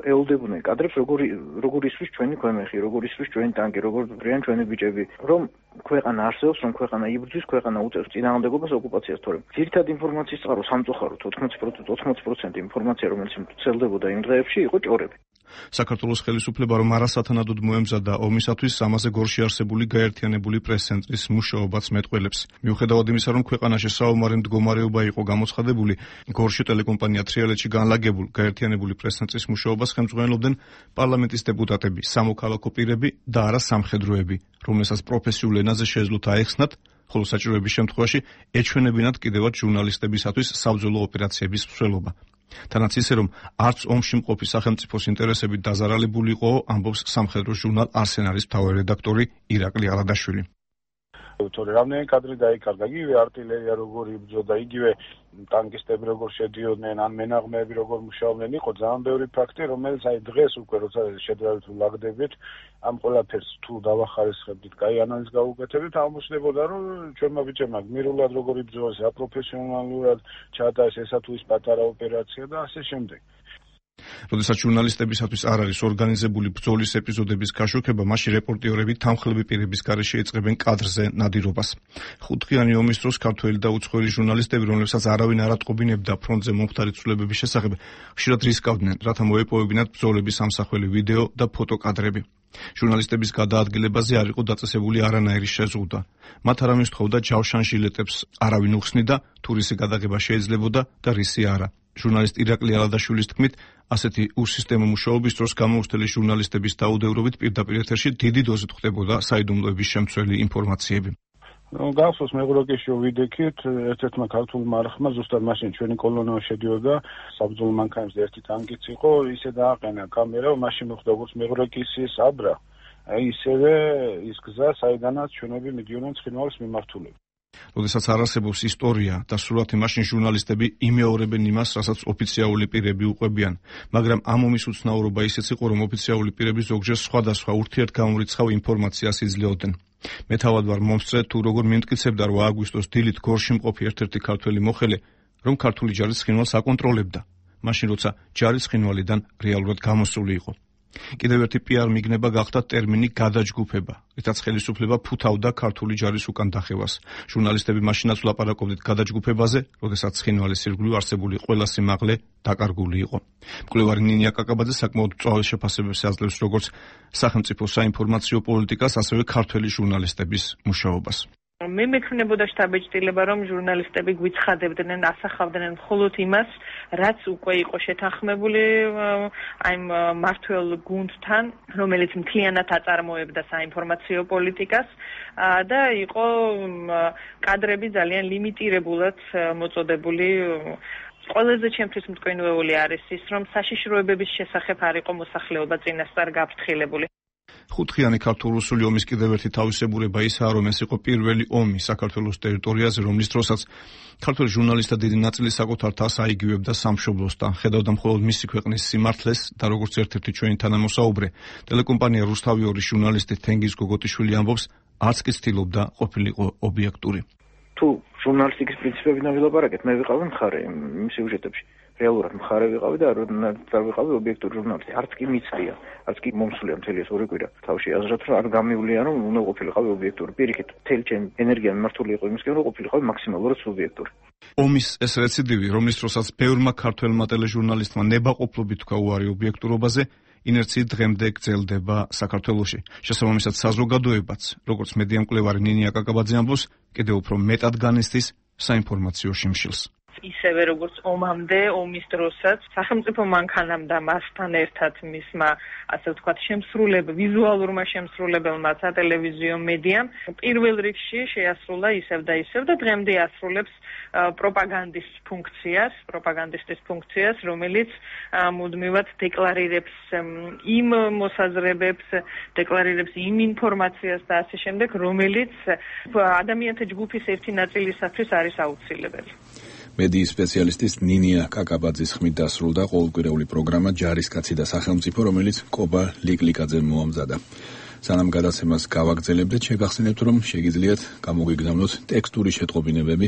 ეულდებოდნენ კადრებს, როგორი როგორი ისვის ჩვენი ქვემეხი, როგორი ისვის ჩვენი ტანკი, როგორ ბრიან ჩვენი ბიჭები, რომ ქვეყანა არსებობს, რომ ქვეყანა იბრძვის, ქვეყანა უწევს წინააღმდეგობას ოკუპაციას, თორემ ძირითადი ინფორმაციის წყარო სამწუხაროდ ოცდაათი პროცენტი ინფორმაცია, რომელიც ვრცელდებოდა იმ დღეებში, იყო ჭორები. საქართველოს ხელისუფლება რომ არასათანადოდ მოემზადა ომისათვის ამაზე გორში არსებული გაერთიანებული პრეს-ცენტრის მუშაობაც მეტყველებს. მიუხედავად იმისა, რომ ქვეყანაში საომარი მდგომარეობა იყო გამოცხადებული, გორში ტელეკომპანია თრიალეთში განლაგებულ გაერთიანებული პრეს-ცენტრის მუშაობას ხელმძღვანელობდნენ პარლამენტის დეპუტატები, სამოქალაქო პირები და არა სამხედროები, რომელსაც პროფესიულ ენაზე შეეძლოთ აეხსნათ ხოლო საჭიროების შემთხვევაში ეჩვენებინათ კიდევაც ჟურნალისტებისათვის საბრძოლო ოპერაციების მსვლელობა. თანაც ისე, რომ არც ომში მყოფი სახელმწიფოს ინტერესებით დაზარალებული იყო, ამბობს სამხედრო ჟურნალ არსენალის მთავარი რედაქტორი ირაკლი ალადაშვილი. თორე რამდენი კადრი დაიკარგა, იგივე არტილერია როგორ იბრძოდა, იგივე ტანკისტები როგორ შედიოდნენ, ან მენაღმეები როგორ მუშაობდნენ, იყო ძალიან ბევრი ფაქტი, რომელიც აი დღეს უკვე როცა შედარებით ვლაგდებით, ამ ყველაფერს თუ დავახარისხებდით, კაი ანალიზს გავუკეთებთ, აღმოჩნდებოდა, რომ ჩვენმა ბიჭებმა გმირულად როგორ იბრძოლეს, აპროფესიონალურად ჩაატარეს ესა თუ ის პატარა ოპერაცია და ასე შემდეგ. როდესაც ჟურნალისტებისათვის არ არის ორგანიზებული ბრძოლის ეპიზოდების გაშუქება, მაშინ რეპორტიორები თანხლები პირების გარეშე ეწყებენ კადრზე ნადირობას. ხუთდღიანი ომის დროს ქართველი და უცხოელი ჟურნალისტები, რომლებსაც არავინ არ ატყობინებდა ფრონტზე მომხდარი ცვლილებების შესახებ, ხშირად რისკავდნენ, რათა მოეპოვებინათ ბრძოლების ამსახველი ვიდეო და ფოტოკადრები. ჟურნალისტების გადაადგილებაზე არ იყო დაწესებული არანაირი შეზღუდვა. მათ არავინ სთხოვდა ჯავშან ჟილეტებს არავინ უხსნიდა, თუ რისი გადაღება შეიძლებოდა და რისი არა. ჟურნალისტ ირაკლი ალადაშვილის თქმით, ასეთი უსისტემო მუშაობის დროს გამოუცდელი ჟურნალისტების დაუდევრობით პირდაპირ ეთერში დიდი დოზით ხდებოდა საიდუმლოების შემცველი ინფორმაციები. გახსოვს მეღროკიში ვიდექით ერთ-ერთმა ქართულმა არხმა ზუსტად მაშინ ჩვენი კოლონიო შედიოდა საბრძოლო მანქანებზე ერთი ტანკიც იყო, ისე დააყენა კამერა, მაშინ მოხდა როგორც მეღროკისის აბრა, აი ისევე ის გზა, საიდანაც ჩვენები მიდიოდნენ ცხინვალის მიმართულებით. როდესაც არ არსებობს ისტორია და სურათი, მაშინ ჟურნალისტები იმეორებენ იმას, რასაც ოფიციალური პირები უყვებიან, მაგრამ ამ ომის უცნაურობა ისეც იყო, რომ ოფიციალური პირები ზოგჯერ სხვადასხვა ურთიერთგამორიცხავ ინფორმაციას იძლეოდნენ. მე თავად ვარ მომსწრე, თუ როგორ მიმტკიცებდა, რომ აგვისტოს დილით გორში მყოფი ერთ-ერთი ქართველი მოხელე, რომ ქართული ჯარი ცხინვალს აკონტროლებდა, მაშინ როცა ჯარი ცხინვალიდან რეალურად გამოსული იყო. კიდევ ერთი პიარ მიგნება გახდა ტერმინი გადაჯგუფება, რითაც ხელისუფლება ფუთავდა ქართული ჯარის უკან დახევას. ჟურნალისტები მაშინაც ვლაპარაკობდით გადაჯგუფებაზე, როდესაც ცხინვალის ირგვლივ არსებული ყველა სიმაღლე დაკარგული იყო. მკვლევარი ნინია კაკაბაძე საკმაოდ მწვავე შეფასებებს აძლევს როგორც სახელმწიფო საინფორმაციო პოლიტიკას, ასევე ქართველი ჟურნალისტების მუშაობას. მე მექნებოდა შთაბეჭდილება, რომ ჟურნალისტები გვიცხადებდნენ, ასახავდნენ მხოლოდ იმას, რაც უკვე იყო შეთანხმებული აი მართველ გუნდთან, რომელიც მთლიანად აწარმოებდა საინფორმაციო პოლიტიკას და იყო კადრები ძალიან ლიმიტირებულად მოწოდებული. ყველაზე ჩემთვის მტკივნეული არის ის, რომ საშიშროებების შესახებ არ იყო მოსახლეობა წინასწარ გაფრთხილებული. ხუთდღიანი ქართულ-რუსული ომის კიდევ ერთი თავისებურება ისაა, რომ ეს იყო პირველი ომი საქართველოს ტერიტორიაზე, რომლის დროსაც ქართველი ჟურნალისტთა დიდი ნაწილი საკუთარ თავს აიგივებდა სამშობლოსთან, ხედავდა მხოლოდ მისი ქვეყნის სიმართლეს და როგორც ერთ-ერთი ჩვენი თანამოსაუბრე, ტელეკომპანია რუსთავი ორის ჟურნალისტი თენგიზ გოგოტიშვილი ამბობს, არც კი ცდილობდა ყოფილიყო ობიექტური. თუ ჟურნალისტიკის პრინციპებიდან ვილაპარაკეთ, მე ვიყავი მხარე იმ სიუჟეტებში. რეალურად მხარე ვიყავი და არ ვიყავი ობიექტური ჟურნალისტი. არც კი მიცდია, არც კი მომსულია მთელი ეს ორი კვირა. თავში აზრად რომ არ გამივლია, რომ უნდა ყოფილიყავი ობიექტური. პირიქით, მთელი ჩემი ენერგია მიმართული იყო იმისკენ, რომ ყოფილიყავი მაქსიმალურად ობიექტური. ომის ეს რეციდივი, რომლის დროსაც ბევრმა ქართველმა ტელეჟურნალისტმა ნებაყოფლობით თქვა უარი ობიექტურობაზე, ინერციით დღემდე გრძელდება საქართველოში. შესაბამისად, საზოგადოებაც, როგორც მედია მკვლევარი ნინია კაკაბაძე ამბობს, კიდევ უფრო მეტად განიცდის საინფორმაციო შიმშილს. ისევე როგორც ომამდე, ომის დროსაც სახელმწიფო მანქანამ და მასთან ერთად მისმა, ასე ვთქვათ, შემსრულებ, ვიზუალურმა შემსრულებელმა სატელევიზიო მედიამ პირველ რიგში შეასრულა ისევ და ისევ და დღემდე ასრულებს პროპაგანდის ფუნქციას, პროპაგანდისტის ფუნქციას, რომელიც მუდმივად დეკლარირებს იმ მოსაზრებებს, დეკლარირებს იმ ინფორმაციას და ასე შემდეგ, რომელიც ადამიანთა ჯგუფის ერთი ნაწილისათვის არის აუცილებელი. მედიის სპეციალისტის ნინია კაკაბაძის ხმით დასრულდა ყოველკვირეული პროგრამა ჯარისკაცი და სახელმწიფო, რომელიც კობა ლიკლიკაძემ მოამზადა. სანამ გადაცემას გავაგრძელებდეთ, შეგახსენებთ, რომ შეგიძლიათ გამოგიგზავნოთ ტექსტური შეტყობინებები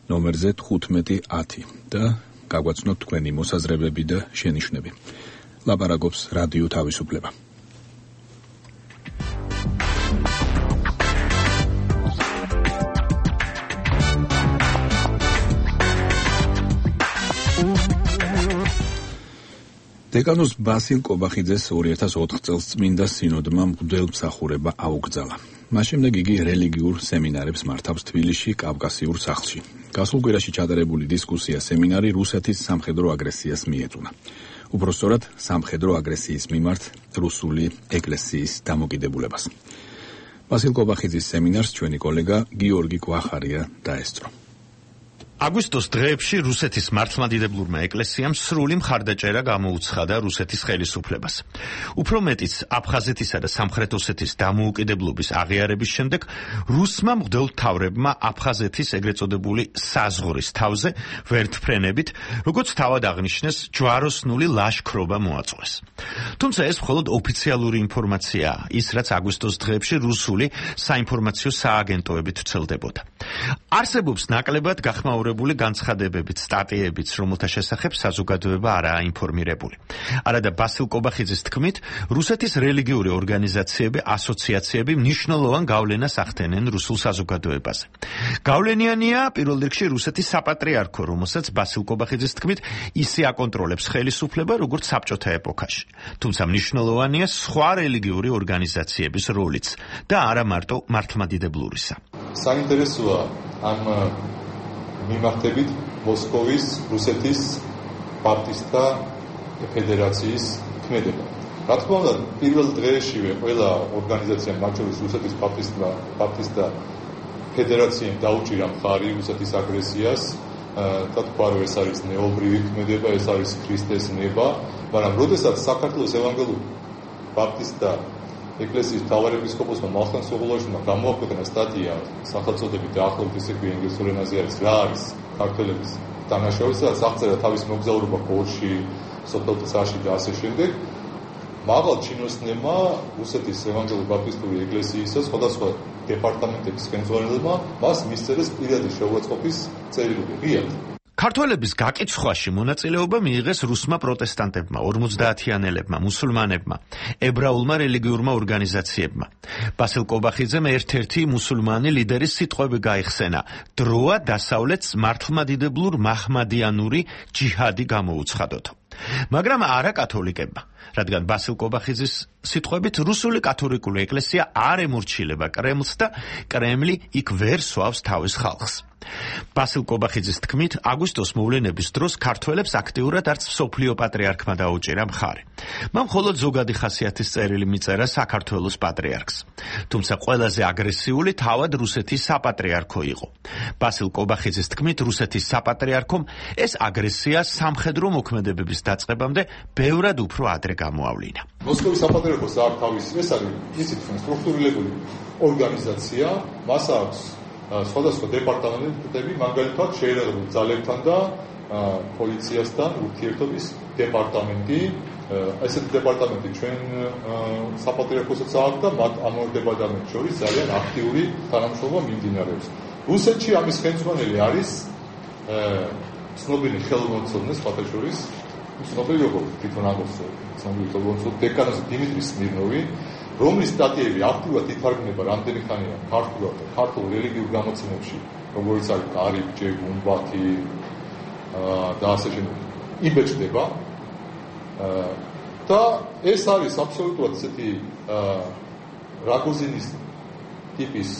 ნომერზე თხუთმეტი ათი და გაგვაცნოთ თქვენი მოსაზრებები და შენიშვნები. ლაპარაკობს რადიო თავისუფლება. დეკანოზ ბასილ კობახიძეს ორი ათას ოთხ წელს წმინდა სინოდმა მღვდელმსახურება აუკრძალა. მას შემდეგ იგი რელიგიურ სემინარებს მართავს თბილისში, კავკასიურ სახლში. გასულ კვირაში ჩატარებული დისკუსია სემინარი რუსეთის სამხედრო აგრესიას მიეძღვნა. უпростоრად სამხედრო აგრესიის მიმართ რუსული ეკლესიის დამოკიდებულებას. ვასილ კობახიძის სემინარს ჩვენი კოლეგა გიორგი კვახარია დაესწრო. აგვისტოს დღეებში რუსეთის მართლმადიდებლურმა ეკლესიამ სრული მხარდაჭერა გამოუცხადა რუსეთის ხელისუფლებას. უფრო მეტიც, აფხაზეთისა და სამხრეთ ოსეთის დამოუკიდებლობის აღიარების შემდეგ რუსმა მღვდელმთავრებმა აფხაზეთის ეგრეთ წოდებული საზღვრის თავზე ვერტმფრენებით, როგორც თავად აღნიშნეს, ჯვაროსნული ლაშქრობა მოაწყვეს. თუმცა ეს მხოლოდ ოფიციალური ინფორმაციაა, ის რაც აგვისტოს დღეებში რუსული საინფორმაციო სააგენტოებით ვრცელდებოდა. არსებობს ნაკლებად გახმაურებული განცხადებებით, სტატიებიც, რომელთა შესახებ საზოგადოება არაა ინფორმირებული. არადა ბასილ კობახიძის თქმით, რუსეთის რელიგიური ორგანიზაციები, ასოციაციები მნიშვნელოვან გავლენას ახდენენ რუსულ საზოგადოებაზე. გავლენიანია პირველ რიგში რუსეთის საპატრიარქო, რომელსაც ბასილ კობახიძის თქმით, ისე აკონტროლებს ხელისუფლება, როგორც საბჭოთა ეპოქაში. თუმცა მნიშვნელოვანია სხვა რელიგიური ორგანიზაციების როლიც და არა მარტო მართლმადიდებლურისა. საინტერესოა ამ მიმართებით მოსკოვის რუსეთის პარტისტთა ფედერაციის ქმედება. რა თქმა უნდა, პირველ დღეშივე ყველა ორგანიზაციამ, მათ შორის რუსეთის პარტისტთა პარტისტთა ფედერაციამ დაუჭირა მხარი რუსეთის აგრესიას და თქვა, რომ ეს არის ნეობრივი ქმედება, ეს არის ქრისტეს ნება, მაგრამ როდესაც საქართველოს ევანგელური ბაპტისტთა ეკლესიის მთავარეპისკოპოსმა მალხან სოღოლაშვილმა გამოაქვეყნა სტატია სახელწოდებით დაახლოებით ისე ქვია ინგლისურ ენაზე არის რა არის ქართველების დანაშაული, სადაც აღწერა თავის მოგზაურობა პოლში, სოფელ ცარში და ასე შემდეგ. მაღალ ჩინოსნებმა რუსეთის ევანგელური ბაპტისტური ეკლესიისა სხვადასხვა დეპარტამენტების ხელმძღვანელებმა მას მისწერეს პირადი შეურაცხყოფის წერილები. ღიად ქართველების გაკიცხვაში მონაწილეობა მიიღეს რუსმა პროტესტანტებმა, ორმოცდაათიანელებმა, მუსულმანებმა, ებრაულმა რელიგიურმა ორგანიზაციებმა. ბასილ კობახიძემ ერთ-ერთი მუსულმანი ლიდერის სიტყვები გაიხსენა: დროა დასავლეთს მართლმადიდებლურ მაჰმადიანური ჯიჰადი გამოუცხადოთ. მაგრამ არა კათოლიკებმა, რადგან ბასილ კობახიძის სიტყვებით რუსული კათოლიკური ეკლესია არ ემორჩილება კრემლს და კრემლი იქ ვერ სვავს თავის ხალხს. ბასილ კობახიძის თქმით, აგვისტოს მოვლენების დროს ქართველებს აქტიურად არც მსოფლიო პატრიარქმა დაუჭირა მხარი. მან მხოლოდ ზოგადი ხასიათის წერილი მიწერა საქართველოს პატრიარქს. თუმცა ყველაზე აგრესიული თავად რუსეთის საპატრიარქო იყო. ბასილ კობახიძის თქმით, რუსეთის საპატრიარქომ ეს აგრესია სამხედრო მოქმედებების დაწყებამდე ბევრად უფრო ადრე გამოავლინა. მოსკოვის საპატრიარქოს აქვს თავისი, ეს არის ისეთი სტრუქტურირებული ორგანიზაცია, მას აქვს სხვადასხვა დეპარტამენტები, მაგალითად შეერაგებულ ძალებთან და პოლიციასთან ურთიერთობის დეპარტამენტი. ესეთი დეპარტამენტი ჩვენ საპატრიარქოსაც აქვს და მათ ამ ორ დეპარტამენტს შორის ძალიან აქტიური თანამშრომლობა მიმდინარეობს. რუსეთში ამის ხელმძღვანელი არის ცნობილი ხელმძღვანელი სხვათა შორის, ცნობილი როგორც თვითონ ამბობს ცნობილი ხელმძღვანელი დეკანოზი დიმიტრი სმირნოვი, რომლის სტატიები აქტიურად ითარგმნება რამდენი ხანია ქართულად და ქართულ რელიგიურ გამოცემებში, როგორც არის კარიბჭე, გუმბათი და ასე შემდეგ. იბეჭდება და ეს არის აბსოლუტურად ესეთი რაგოზინის ტიპის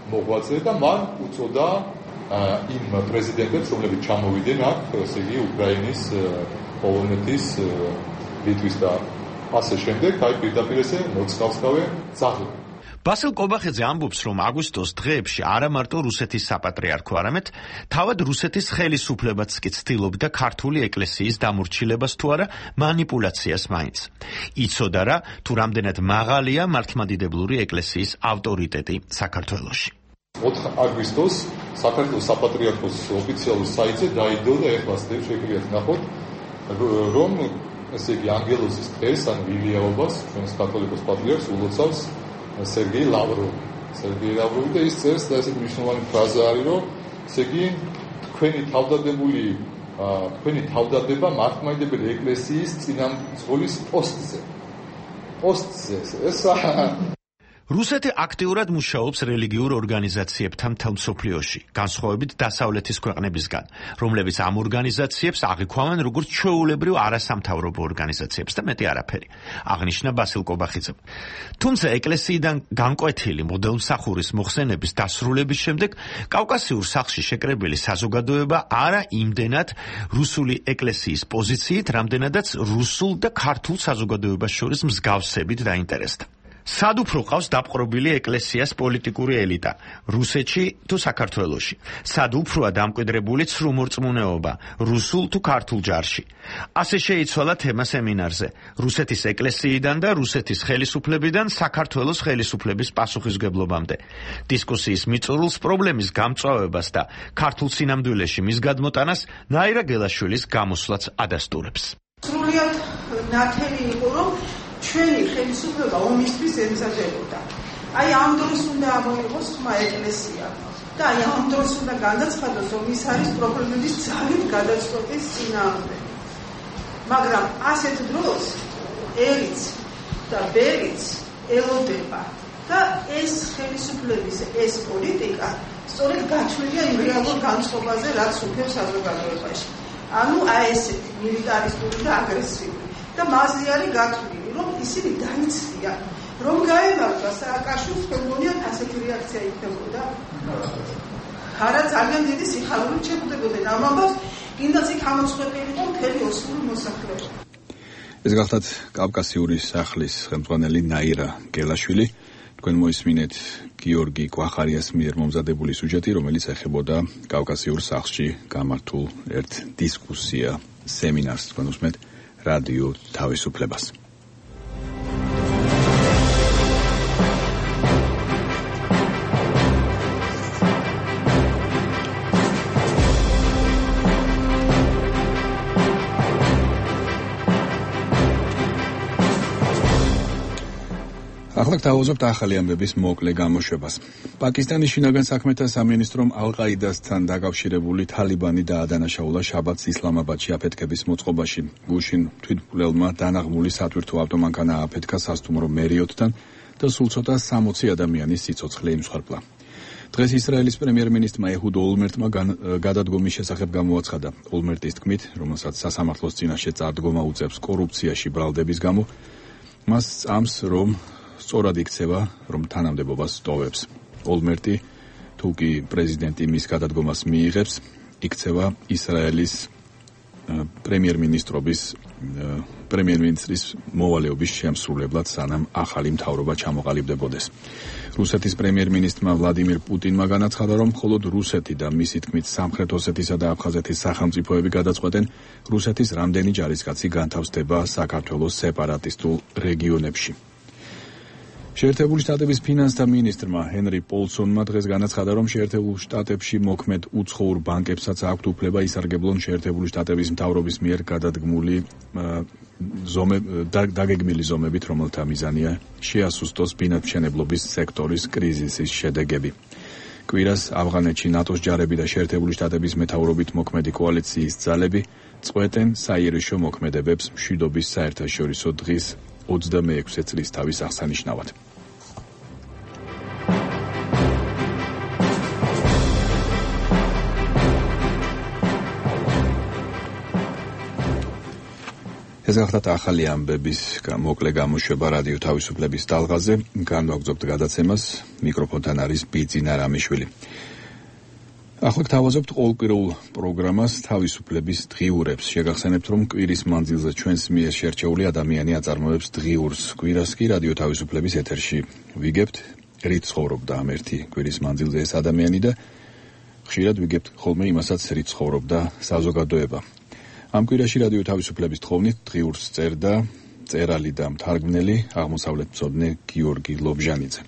მოღვაწე და მან უწოდა იმ პრეზიდენტებს, რომლებიც ჩამოვიდნენ აქ, ესე იგი უკრაინის, პოლონეთის, ლიტვის და ასე შემდეგ, აი პირდაპირ ესე მოწინააღმდეგე ძაღლი. ბასილ კობახიძე ამბობს, რომ აგვისტოს დღეებში არა მარტო რუსეთის საპატრიარქო, არამედ თავად რუსეთის ხელისუფლებაც კი ცდილობდა ქართული ეკლესიის დამორჩილებას თუ არა მანიპულაციას მაინც. იცოდა რა, თუ რამდენად მაღალია მართლმადიდებლური ეკლესიის ავტორიტეტი საქართველოში. ოთხ აგვისტოს საქართველოს საპატრიარქოს ოფიციალურ საიტზე დაიდო და ეხლა შეგვიძლია ნახოთ, რომ ესე იგი ანგელოზის დღეს ან ვილიაობას ჩვენს კათოლიკოს პატრიარქს ულოცავს სერგეი ლავროვი. სერგეი ლავროვი და ის წერს და ესე მნიშვნელოვანი ფრაზა არის, რომ ესე იგი თქვენი თავდადებული თქვენი თავდადება მართლმადიდებელი ეკლესიის წინამძღოლის პოსტზე. პოსტზე ეს რუსეთი აქტიურად მუშაობს რელიგიურ ორგანიზაციებთან მთელ მსოფლიოში, განსხვავებით დასავლეთის ქვეყნებისგან, რომლებიც ამ ორგანიზაციებს აღიქვამენ როგორც ჩვეულებრივ არასამთავრობო ორგანიზაციებს და მეტი არაფერი, აღნიშნა ბასილ კობახიძემ. თუმცა ეკლესიიდან განკვეთილი მღვდელმსახურის მოხსენების დასრულების შემდეგ კავკასიურ სახლში შეკრებილი საზოგადოება არა იმდენად რუსული ეკლესიის პოზიციით, რამდენადაც რუსულ და ქართულ საზოგადოებას შორის მსგავსებით დაინტერესდა. სად უფრო ყავს დაპყრობილი ეკლესიას პოლიტიკური ელიტა, რუსეთში თუ საქართველოში? სად უფროა დამკვიდრებული ცრუმორწმუნეობა, რუსულ თუ ქართულ ჯარში? ასე შეიცვალა თემა სემინარზე. რუსეთის ეკლესიიდან და რუსეთის ხელისუფლებიდან საქართველოს ხელისუფლების პასუხისმგებლობამდე. დისკუსიის მიწურულს პრობლემის გამწვავებას და ქართულ სინამდვილეში მის გადმოტანას ნაირა გელაშვილის გამოსვლაც ადასტურებს. სრულიად ნათელი იყო, რომ ჩვენი ხელისუფლება ომისთვის ემზადებოდა. აი ამ დროს უნდა ამოიღოს ხმა ეკლესია და აი ამ დროს უნდა განაცხადოს, რომ ის არის პრობლემების ძალით გადაწყვეტის წინააღმდეგ. მაგრამ ასეთ დროს ერიც და ბერიც ელოდება და ეს ხელისუფლების ეს პოლიტიკა სწორედ გათვლილია იმ რეალურ განწყობაზე, რაც უქებს საზოგადოებაში. ანუ აი ესეთი მილიტარისტული და აგრესიული და მასზე არის გათვლილი, რომ ისინი დაიციან, რომ გაემართა სააკაშვილს, მგონიათ ასეთი რეაქცია იქნებოდა. არა ძალიან დიდი სიხარულით შეხვდებოდნენ ამ ამბავს, კიდაც იქ ამოწყვეტილიყო მთელი ოსური მოსახლეობა. ეს გახლავთ კავკასიური სახლის ხელმძღვანელი ნაირა გელაშვილი. თქვენ მოისმინეთ გიორგი კვახარიას მიერ მომზადებული სუჟეტი, რომელიც ეხებოდა კავკასიურ სახლში გამართულ ერთ დისკუსია სემინარს. თქვენ უსმენთ რადიო თავისუფლებას. ახლა გთავაზობთ ახალი ამბების მოკლე გამოშვებას. პაკისტანის შინაგან საქმეთა სამინისტრომ ალ-ყაიდასთან დაკავშირებული თალიბანი დაადანაშაულა შაბათს ისლამაბადში აფეთქების მოწყობაში. გუშინ თვითმკვლელმა დანაღმული სათვირთო ავტომანქანა აფეთქა სასტუმრო მერიოტთან და სულ ცოტა სამოცი ადამიანის სიცოცხლე იმსხვერპლა. დღეს ისრაელის პრემიერ-მინისტრმა ეჰუდ ოლმერტმა გადადგომის შესახებ გამოაცხადა. ოლმერტის თქმით, რომელსაც სასამართლოს წინაშე წარდგომა უწევს კორუფციაში ბრალდების გამო, მას წამს, რომ სწორად იქცევა, რომ თანამდებობას ტოვებს. ოლმერტი, თუ კი პრეზიდენტი მის გადადგომას მიიღებს, იქცევა ისრაელის პრემიერ-მინისტრობის პრემიერ-მინისტრის მოვალეობის შემსრულებლად, სანამ ახალი მთავრობა ჩამოყალიბდებოდეს. რუსეთის პრემიერ-მინისტრმა ვლადიმირ პუტინმა განაცხადა, რომ მხოლოდ რუსეთი და მისი თქმით სამხრეთ ოსეთისა და აფხაზეთის სახელმწიფოები გადაწყვეტენ, რუსეთის რამდენი ჯარისკაცი განთავსდება საქართველოს სეპარატისტულ რეგიონებში. შეერთებული შტატების ფინანსთა მინისტრმა ჰენრი პოლსონმა დღეს განაცხადა, რომ შეერთებულ შტატებში მოქმედ უცხოურ ბანკებსაც აქვთ უფლება ისარგებლონ შეერთებული შტატების მთავრობის მიერ გადადგმული დაგეგმილი ზომებით, რომელთა მიზანია შეასუსტოს ბინადმშენებლობის სექტორის კრიზისის შედეგები. კვირას ავღანეთში ნატოს ჯარები და შეერთებული შტატების მეთაურობით მოქმედი კოალიციის ძალები წყვეტენ საიერიშო მოქმედებებს მშვიდობის საერთაშორისო დღის ოცდამეექვსე წლის თავის აღსანიშნავად. ეს გახლავთ ახალი ამბების მოკლე გამოშვება რადიო თავისუფლების ტალღაზე. განვაგრძობთ გადაცემას, მიკროფონთან არის ბიძინა რამიშვილი. ახლა გთავაზობთ ყოველკვირეულ პროგრამას თავისუფლების დღიურებს. შეგახსენებთ, რომ კვირის მანძილზე ჩვენს მიერ შერჩეული ადამიანი აწარმოებს დღიურს. კვირას კი რადიო თავისუფლების ეთერში ვიგებთ, რით ცხოვრობდა ამ ერთი კვირის მანძილზე ეს ადამიანი და ხშირად ვიგებთ ხოლმე იმასაც, რით ცხოვრობდა საზოგადოება. ამ კვირაში რადიო თავისუფლების თხოვნით დღიურს წერდა წერალი და მთარგმნელი აღმოსავლეთმცოდნე გიორგი ლობჟანიძე.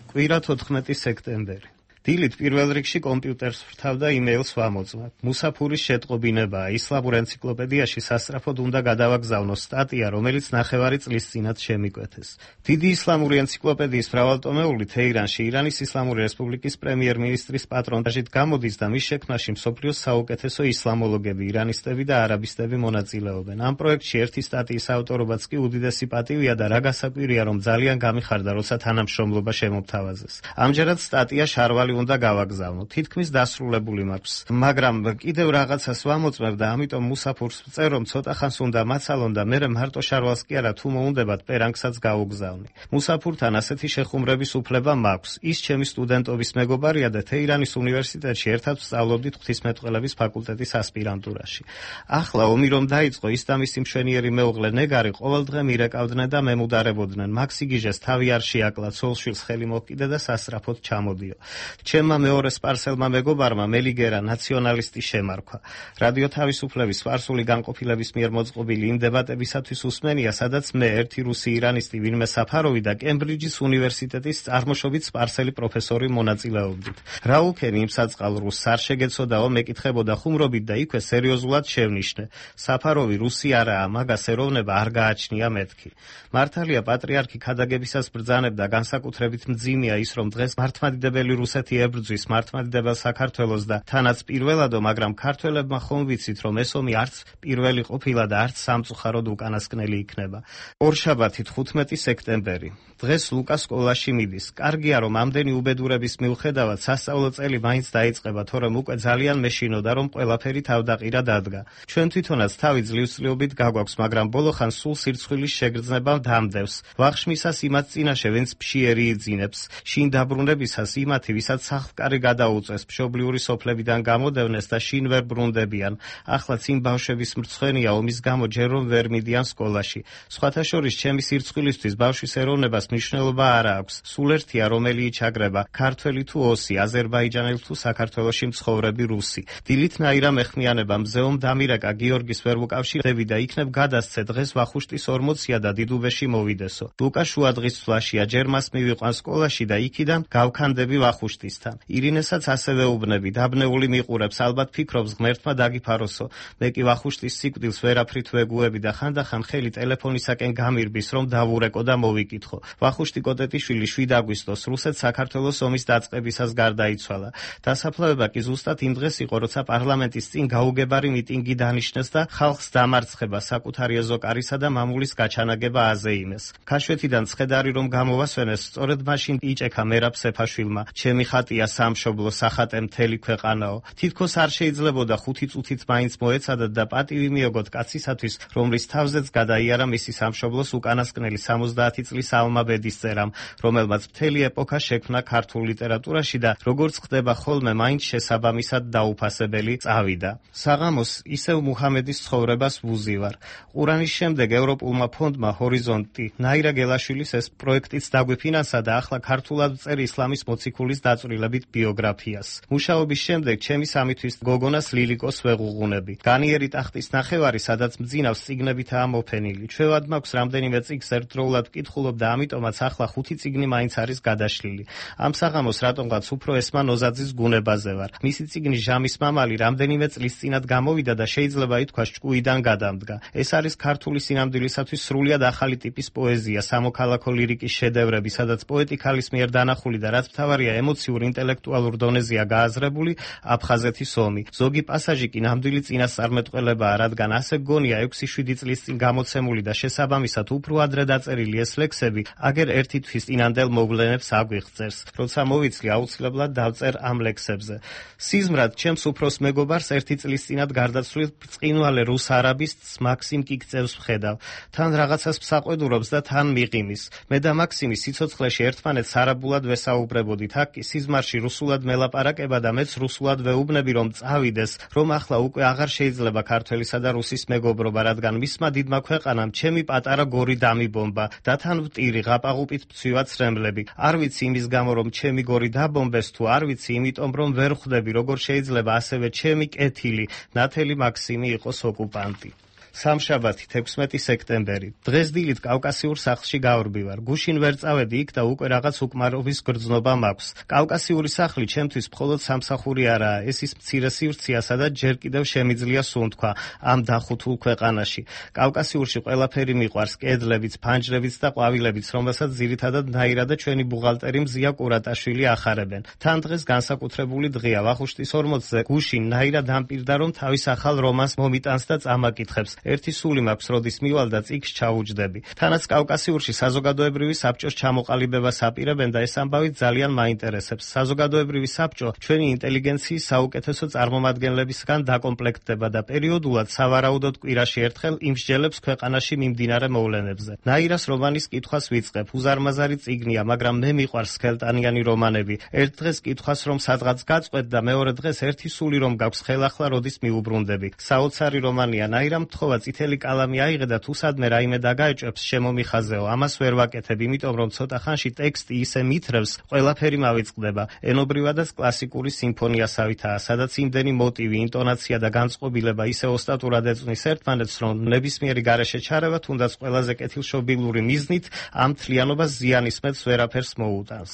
კვირა თოთხმეტი სექტემბერი. დილით პირველ რიგში კომპიუტერს ვრთავდა იმეილს ვამოწმებ. მუსაფურის შეტყობინებაა. ისლამურ ენციკლოპედიაში სასწრაფოდ უნდა გადავაგზავნოს სტატია, რომელიც ნახევარი წლის წინათ შემიკვეთეს. დიდი ისლამური ენციკლოპედიის მრავალტომეული თეირანში ირანის ისლამური რესპუბლიკის პრემიერ-მინისტრის პატრონაჟით გამოდის და მის შექმნაში მსოფლიოს საუკეთესო ისლამოლოგები, ირანისტები და არაბისტები მონაწილეობენ. ამ პროექტში ერთი სტატიის ავტორობაც კი უდიდესი პატივია და რა გასაკვირია, რომ ძალიან გამიხარდა, როცა თანამშრომლობა შემომთავაზეს. ამჯერად სტატია შარვალი უნდა გავაგზავნო. თითქმის დასრულებული მაქვს. მაგრამ კიდევ რაღაცას ვამოწმებ და ამიტომ მუსაფურს ვწერ, რომ ცოტა ხანს უნდა მაცალონ და მერე მარტო შარვალს კი არა, თუ მოუნდებათ პერანგსაც გავუგზავნი. მუსაფურთან ასეთი შეხუმრების უფლება მაქვს. ის ჩემი სტუდენტობის მეგობარია და თეირანის უნივერსიტეტში ერთად ვსწავლობდით ღვთისმეტყველების ფაკულტეტის ასპირანტურაში. ახლა ომი რომ დაიწყო, ის და მისი მშვენიერი მეუღლე ნეგარი ყოველდღე მირეკავდნენ და მემუდარებოდნენ. მაქსიგიჟეს თავი არ შეაკლა, ცოლშვილს ხელი მოკიდა და სასწრაფოდ ჩამოდიო. ჩემმა მეორე სპარსელმა მეგობარმა მელიგერა ნაციონალისტი შემარქვა. რადიო თავისუფლების სპარსული განყოფილების მიერ მოწყობილი იმ დებატებისათვის უსმენია, სადაც მე ერთი რუსი ირანისტი ვინმე საფაროვი და კემბრიჯის უნივერსიტეტის წარმოშობით სპარსელი პროფესორი მონაწილეობდით. რაულქენი იმ საწყალ რუსს არ შეგეცოდაო, მეკითხებოდა ხუმრობით და იქვე სერიოზულად შევნიშნე. საფაროვი რუსი არაა, მაგას ეროვნება არ გააჩნია მეთქი. მართალია პატრიარქი ქადაგებისას ბრძანებდა, განსაკუთრებით მძიმეა ის, რომ დღეს მართლმადიდებელი რუსეთი ებრძვის მართლმადიდებელ საქართველოს და თანაც პირველადო, მაგრამ ქართველებმა ხომ ვიცით, რომ ეს ომი არც პირველი ყოფილა და არც სამწუხაროდ უკანასკნელი იქნება. ორშაბათი თხუთმეტი სექტემბერი. დღეს ლუკა სკოლაში მიდის. კარგია, რომ ამდენი უბედურების მიუხედავად სასწავლო წელი მაინც დაიწყება, თორემ უკვე ძალიან მეშინოდა, რომ ყველაფერი თავდაყირა დადგა. ჩვენ თვითონაც თავი ძლივსწლიობით გაგვაქვს, მაგრამ ბოლოხან სულ სირცხვილის შეგრძნება დამდევს. ვახშმისას იმათ წინაშე, ვინც ფშიერი იძინებს. შინ დაბრუნებისას იმათი, ვისაც სახლკარი გადაუწეს, მშობლიური სოფლებიდან გამოდევნეს და შინ ვერ ბრუნდებიან. ახლაც იმ ბავშვების მრცხვენია ომის გამო ჯერ რომ ვერ მიდიან სკოლაში. სხვათა შორის ჩემი სირცხვილისთვის ბავშვის ეროვნებას მნიშვნელობა არ აქვს. სულ ერთია, რომელი იჩაგრება, ქართველი თუ ოსი, აზერბაიჯანელი თუ საქართველოში მცხოვრები რუსი. დილით ნაირა მეხმიანება მზეომ დამირეკა გიორგის ვერ ვუკავშირდები და იქნებ გადასცე დღეს ვახუშტის ორმოცია და დიდუბეში მოვიდესო. ლუკა შუადღის ცვლაშია, ჯერ მას მივიყვან სკოლაში და იქიდან გავქანდები ვახუშტისთან. ირინესაც ასევე უბნები, დაბნეული მიყურებს, ალბათ ფიქრობს ღმერთმა დაგიფაროსო. მე კი ვახუშტის სიკვდილს ვერაფრით ვეგუები და ხანდახან ხელი ტელეფონისაკენ გამირბის, რომ დავურეკო და მოვიკითხო. ვახუშტი კოტეტიშვილი შვიდ აგვისტოს რუსეთ საქართველოს ომის დაწყებისას გარდაიცვალა. დასაფლავება კი ზუსტად იმ დღეს იყო, როცა პარლამენტის წინ გაუგებარი მიტინგი დანიშნეს და ხალხს დამარცხება, საკუთარი ეზოკარისა და მამულის გაჩანაგება აზეიმეს. ქაშვეთიდან ცხედარი რომ გამოვასვენეს, სწორედ მაშინ იჭექა მერაბ სეფაშვილმა. ჩემი ხატია სამშობლო, სახატე მთელი ქვეყანაო. თითქოს არ შეიძლებოდა ხუთი წუთით მაინც მოეცადათ და პატივი მიოგოთ კაცისათვის, რომლის თავზეც გადაიარა მისი სამშობლოს უკანასკნელი სამოცდაათი წლის ალმა ბედისწერამ, რომელმაც მთელი ეპოქა შექმნა ქართულ ლიტერატურაში და როგორც ხდება ხოლმე, მაინც შესაბამისად დაუფასებელი წავიდა. საღამოს ისევ მუჰამედის ცხოვრებას ვუზივარ. ყურანის შემდეგ ევროპულმა ფონდმა ჰორიზონტი ნაირა გელაშვილის ეს პროექტიც დაგვიფინანსა და ახლა ქართულად ვწერ ისლამის მოციქულის დაწვრილებით ბიოგრაფიას. მუშაობის შემდეგ ჩემი სამი თვის გოგონას ლილიკოს ვეღუღუნები. განიერი ტახტის ნახევარი, სადაც მძინავს წიგნებითაა მოფენილი. ჩვევად მაქვს რამდენიმე წიგნს ერთდროულად ვკითხულობ და ამიტომაც ახლა ხუთი წიგნი მაინც არის გადაშლილი. ამ საღამოს რატომღაც უფრო ესმა ნოზაძის გუნებაზე ვარ. მისი წიგნი ჟამის მამალი რამდენიმე წლის წინათ გამოვიდა და შეიძლება ითქვას ჭკუიდან გადამდგა. ეს არის ქართული სინამდვილისათვის სრულიად ახალი ტიპის პოეზია, სამოქალაქო ლირიკის შედევრები, სადაც პოეტი ქალის მიერ დანახული და რაც მთავარია ემოციურ ინტელექტუალურ დონეზეა გააზრებული აფხაზეთის ომი. ზოგი პასაჟი კი ნამდვილი წინასწარმეტყველებაა, რადგან ასე გონია ექვსი შვიდი წლის წინ გამოცემული და შესაბამისად უფრო ადრე დაწერილი ეს ლექსები აგერ ერთი თვის წინანდელ მოვლენებს აგვიღწევს. როცა მოვიცლი, აუცილებლად დავწერ ამ ლექსებზე. სიზმრად ჩემს უფროს მეგობარს ერთი წლის წინათ გარდაცვლილ ბრწყინვალე რუს არაბისტს მაქსიმ კიკწევს ვხედავ. თან რაღაცას მსაყვედურობს და თან მიყიმის. მე და მაქსიმი სიცოცხლეში ერთმანეთს არაბულად ვესაუბრებოდით. აქ კი სიზმარში რუსულად მელაპარაკება და მეც რუსულად ვეუბნები, რომ წავიდეს, რომ ახლა უკვე აღარ შეიძლება ქართველისა და რუსის მეგობრობა, რადგან მისმა დიდმა ქვეყანამ ჩემი პატარა გორი დამიბომბა და თან ვტირი ღაპაღუპით მცვივა ცრემლები. არ ვიცი იმის გამო, რომ ჩემი გორი დაბომბეს, თუ არ ვიცი იმიტომ, რომ ვერ ხვდები, როგორ შეიძლება ასევე ჩემი კეთილი ნათელი მაქსიმი იყოს ოკუპანტი. სამშაბათი თექვსმეტი სექტემბერი. დღეს დილით კავკასიურ სახლში გავრბივარ. გუშინ ვერ წავედი იქ და უკვე რაღაც უკმარობის გრძნობა მაქვს. კავკასიური სახლი ჩემთვის მხოლოდ სამსახური არაა, ეს ის მცირე სივრცეა, სადაც ჯერ კიდევ შემიძლია სუნთქვა ამ დახუთულ ქვეყანაში. კავკასიურში ყველაფერი მიყვარს, კედლებიც, ფანჯრებიც და ყვავილებიც, რომელსაც ძირითადად ნაირა და ჩვენი ბუღალტერი მზია კურატაშვილი ახარებენ. თან დღეს განსაკუთრებული დღეა. ვახუშტის ორმოცზე გუშინ ნაირა დამპირდა, რომ თავის ახალ რომანს მომიტანს და წამაკითხებს. ერთი სული მაქვს როდის მივალ და წიგნს ჩაუჯდები. თანაც კავკასიურში საზოგადოებრივი საბჭოს ჩამოყალიბებას აპირებენ და ეს ამბავი ძალიან მაინტერესებს. საზოგადოებრივი საბჭო ჩვენი ინტელიგენციის საუკეთესო წარმომადგენლებისგან დაკომპლექტდება და პერიოდულად სავარაუდოდ კვირაში ერთხელ იმსჯელებს ქვეყანაში მიმდინარე მოვლენებზე. ნაირას რომანის კითხვას ვიწყებ. უზარმაზარი წიგნია, მაგრამ მე მიყვარს სქელტანიანი რომანები. ერთ დღეს კითხვას რომ სადღაც გაწყვეტ და მეორე დღეს ერთი სული რომ გაქვს ხელახლა როდის მიუბრუნდები. საოცარი რომანია. ნაირამ თხოვა წითელი კალამი აიღე და თუ სადმე რაიმე დაგაეჭვებს შემომიხაზეო. ამას ვერ ვაკეთებ, იმიტომ რომ ცოტა ხანში ტექსტი ისე მითრევს, ყველაფერი მავიწყდება. ენობრივადაც კლასიკური სიმფონიასავითაა, სადაც იმდენი მოტივი, ინტონაცია და განწყობილება ისე ოსტატურად ეწვნის ერთმანეთს, რომ ნებისმიერი გარეშე ჩარევა, თუნდაც ყველაზე კეთილშობილური მიზნით, ამ თლიანობას ზიანისმეთს ვერაფერს მოუტანს.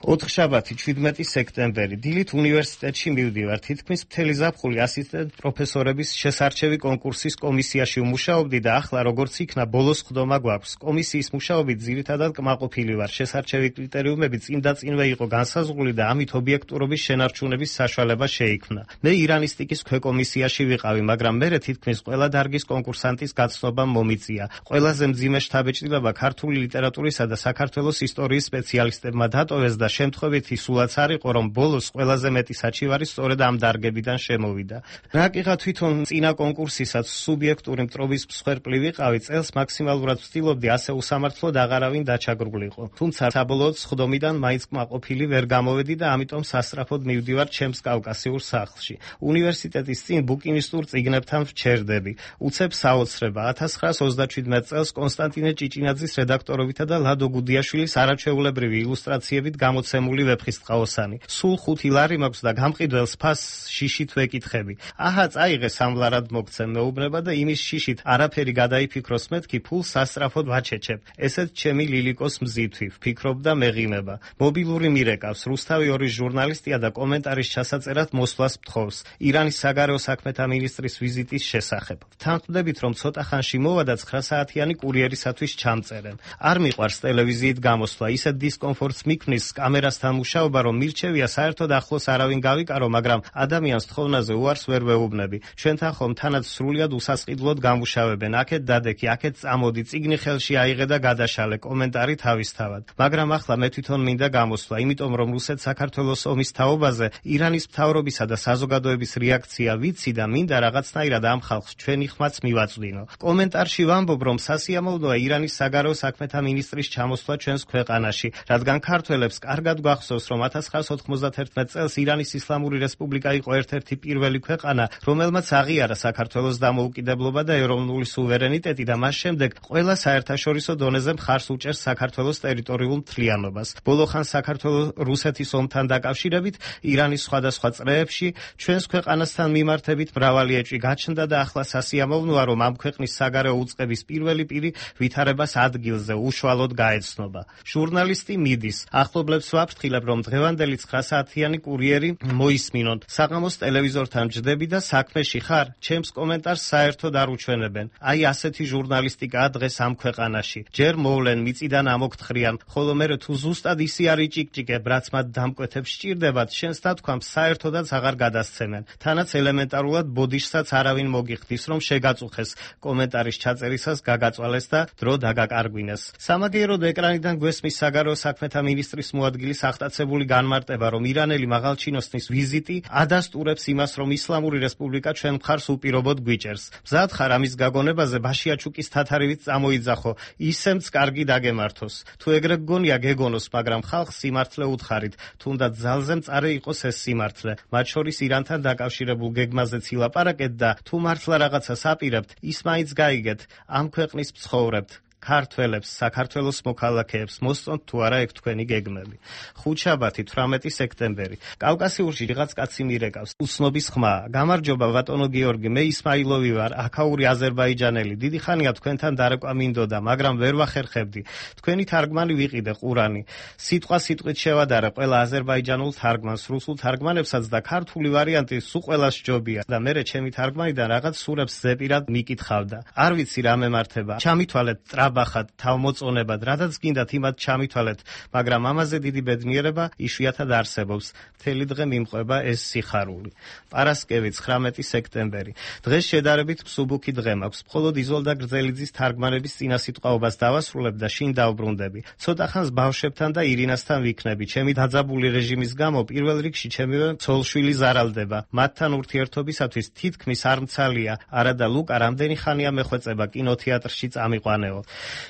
ოთხშაბათი, ჩვიდმეტი სექტემბერი. დილით უნივერსიტეტში მივდივარ. თითქმის მთელი ზაფხული ასისტენტ პროფესორების შესარჩევი კონკურსის კომისიაში ვმუშაობდი და ახლა როგორც იქნა ბოლოს ხდომა გვაქვს. კომისიის მუშაობით ძირითადად კმაყოფილი ვარ. შესარჩევი კრიტერიუმები წინდაწინვე იყო განსაზღვრული და ამით ობიექტურობის შენარჩუნების საშუალება შეიქმნა. მე ირანისტიკის ქვეკომისიაში ვიყავი, მაგრამ მერე თითქმის ყველა დარგის კონკურსანტის გაცნობამ მომიწია. ყველაზე მძიმე შთაბეჭდილება ქართული ლიტერატურისა და საქართველოს ისტორიის სპეციალისტებმა დატოვეს და შემთხვევითი სულაც არ იყო, რომ ბოლოს ყველაზე მეტი საჩივარი სწორედ ამ დარგებიდან შემოვიდა. რაკიღა თვითონ წინა კონკურსისაც სუბიექტური მტრობის მსხვერპლი ვიყავი, წელს მაქსიმალურად ვცდილობდი ასე უსამართლოდ აღარავინ დაჩაგრულიყო. თუმცა საბოლოოდ სხდომიდან მაინც კმაყოფილი ვერ გამოვედი და ამიტომ სასწრაფოდ მივდივარ ჩემს კავკასიურ სახლში. უნივერსიტეტის წინ ბუკინისტურ წიგნებთან ვჩერდები. უცებ საოცრება. ათას ცხრაას ოცდაჩვიდმეტ წელს კონსტანტინე ჭიჭინაძის რედაქტორობითა და ლადო გუდიაშვილის არაჩვეულებრივი ილუსტრაციებით გამოცემული ვეფხისტყაოსანი. სულ ხუთი ლარი მაქვს და გამყიდველს ფასს შიშით ვეკითხები. აჰა, წაიღე სამლარად მოგცემ მეუბნება და იმის შიშით არაფერი გადაიფიქროს მეთქი ფულს სასწრაფოდ ვაჩეჩებ. ესეც ჩემი ლილიკოს მზითვი, ვფიქრობ და მეღიმება. მობილური მირეკავს, რუსთავი ორის ჟურნალისტია და კომენტარის ჩასაწერად მოსვლას მთხოვს. ირანის საგარეო საქმეთა მინისტრის ვიზიტის შესახებ. თანხმდებით, რომ ცოტა ხანში მოვა და ცხრა საათიანი კურიერისათვის ჩამწერენ. არ მიყვარს ტელევიზიით გამოსვლა, ისეთ დისკომფორტს მიქმნის კამერასთან მუშაობა, რომ მირჩევია საერთოდ ახლოს არავინ გავიკარო, მაგრამ ადამიანს თხოვნაზე უარს ვერ ვეუბნები. ჩვენთან ხომ თანაც სრულიად უსასყიდლოდ გამუშავებენ. აქეთ დადექი, აქეთ წამოდი, წიგნი ხელში აიღე და გადაშალე, კომენტარი თავისთავად. მაგრამ ახლა მე თვითონ მინდა გამოსვლა, იმიტომ რომ რუსეთ-საქართველოს ომის თაობაზე ირანის მთავრობისა და საზოგადოების რეაქცია ვიცი და მინდა რაღაცნაირად ამ ხალხს ჩვენი ხმაც მივაწვდინო. კომენტარში ვამბობ, რომ სასიამოვნოა ირანის საგარეო საქმეთა მინისტრის ჩამოსვლა ჩვენს ქვეყანაში, რადგან ქართველებს კარგად გვახსოვს, რომ ათას ცხრაას ოთხმოცდაათერთმეტ წელს ირანის ისლამური რესპუბლიკა იყო ერთ-ერთი პირველი ქვეყანა, რომელმაც აღიარა საქართველოს დამოუკიდებლობა და ეროვნული სუვერენიტეტი და მას შემდეგ ყველა საერთაშორისო დონეზე მხარს უჭერს საქართველოს ტერიტორიულ მთლიანობას. ბოლოხან საქართველოს რუსეთის ომთან დაკავშირებით ირანის სხვადასხვა წრეებში ჩვენს ქვეყანასთან მიმართებით მრავალი ეჭვი გაჩნდა და ახლა სასიამოვნოა, რომ ამ ქვეყნის საგარეო უწყების პირველი პირი ვითარებას ადგილზე უშუალოდ გაეცნობა. ჟურნალისტი მიდის. ახლობლებს ვაფრთხილებ, რომ დღევანდელი ცხრა საათიანი კურიერი მოისმინონ. საღამოს ტელევიზორთან ჯდები და საქმეში ხარ? ჩემს კომენტარს საერთოდ არ უჩვენებენ. აი ასეთი ჟურნალისტიკაა დღეს ამ ქვეყანაში. ჯერ მოვლენ, მიწიდან ამოგთხრიან, ხოლო მერე თუ ზუსტად ისი არ იჭიკჭიკებ, რაც მათ დამკვეთებს სჭირდებათ, შენს დათქვამს საერთოდაც აღარ გადასცემენ. თანაც ელემენტარულად ბოდიშსაც არავინ მოგიხდის, რომ შეგაწუხეს, კომენტარის ჩაწერისას გაგაწვალეს და დრო დაგაკარგვინეს. სამაგიეროდ ეკრანიდან გვესმის საგარეო საქმეთა მინისტრის მოადგილის აღტაცებული განმარტება, რომ ირანელი მაღალჩინოსნის ვიზიტი ადასტურებს იმას, რომ ისლამური რესპუბლიკა ჩვენ მხარს უპირობოდ გვიჭერს. მზად ხარ ამის გაგონებაზე ბაშიაჩუკის თათარივით წამოიძახო, ისემც კარგი დაგემართოს. თუ ეგრე გგონია გეგონოს, მაგრამ ხალხს სიმართლე უთხარით, თუნდაც ძალზე მწარე იყოს ეს სიმართლე. მათ შორის ირანთან დაკავშირებულ გეგმაზეც ილაპარაკეთ და თუ მართლა რაღაცას აპირებთ, ის მაინც გაიგეთ, ამ ქვეყნის მცხოვრებთ. ქართველებს, საქართველოს მოქალაქეებს მოსწონთ თუ არა ეგ თქვენი გეგმები. ხუთშაბათი, თვრამეტი სექტემბერი. კავკასიურში რაღაც კაცი მირეკავს. უცნობის ხმა. გამარჯობა ბატონო გიორგი, მე ისმაილოვი ვარ, აქაური აზერბაიჯანელი. დიდი ხანია თქვენთან დარეკვა მინდოდა, მაგრამ ვერ ვახერხებდი. თქვენი თარგმანი ვიყიდე ყურანი. სიტყვა სიტყვით შევადარე ყველა აზერბაიჯანულ თარგმანს, რუსულ თარგმანებსაც და ქართული ვარიანტი სულ ყველას ჯობია და მერე ჩემი თარგმანიდან რაღაც სურებს ზეპირად მიკითხავდა. არ ვიცი რა მემართება. ჩამითვალეთ ტრაბ დაბახად, თავმოწონებად, რადგან გინდათ იმათ ჩამითვალეთ, მაგრამ ამაზე დიდი ბედნიერება იშვიათად არსებობს. მთელი დღე მიმყვება ეს სიხარული. პარასკევი ცხრამეტი სექტემბერი. დღეს შედარებით მსუბუქი დღე მაქვს. მხოლოდ იზოლდა გრძელიძის თარგმანების წინასიტყვაობას დავასრულებ და შინ დავბრუნდები. ცოტა ხანს ბავშვებთან და ირინასთან ვიქნები. ჩემი დაძაბული რეჟიმის გამო პირველ რიგში ჩემივე ცოლშვილი ზარალდება. მათთან ურთიერთობისათვის თითქმის არ მცალია. არა და ლუკა რამდენი ხანია მეხვეწება კინოთეატრში წამიყვანეო.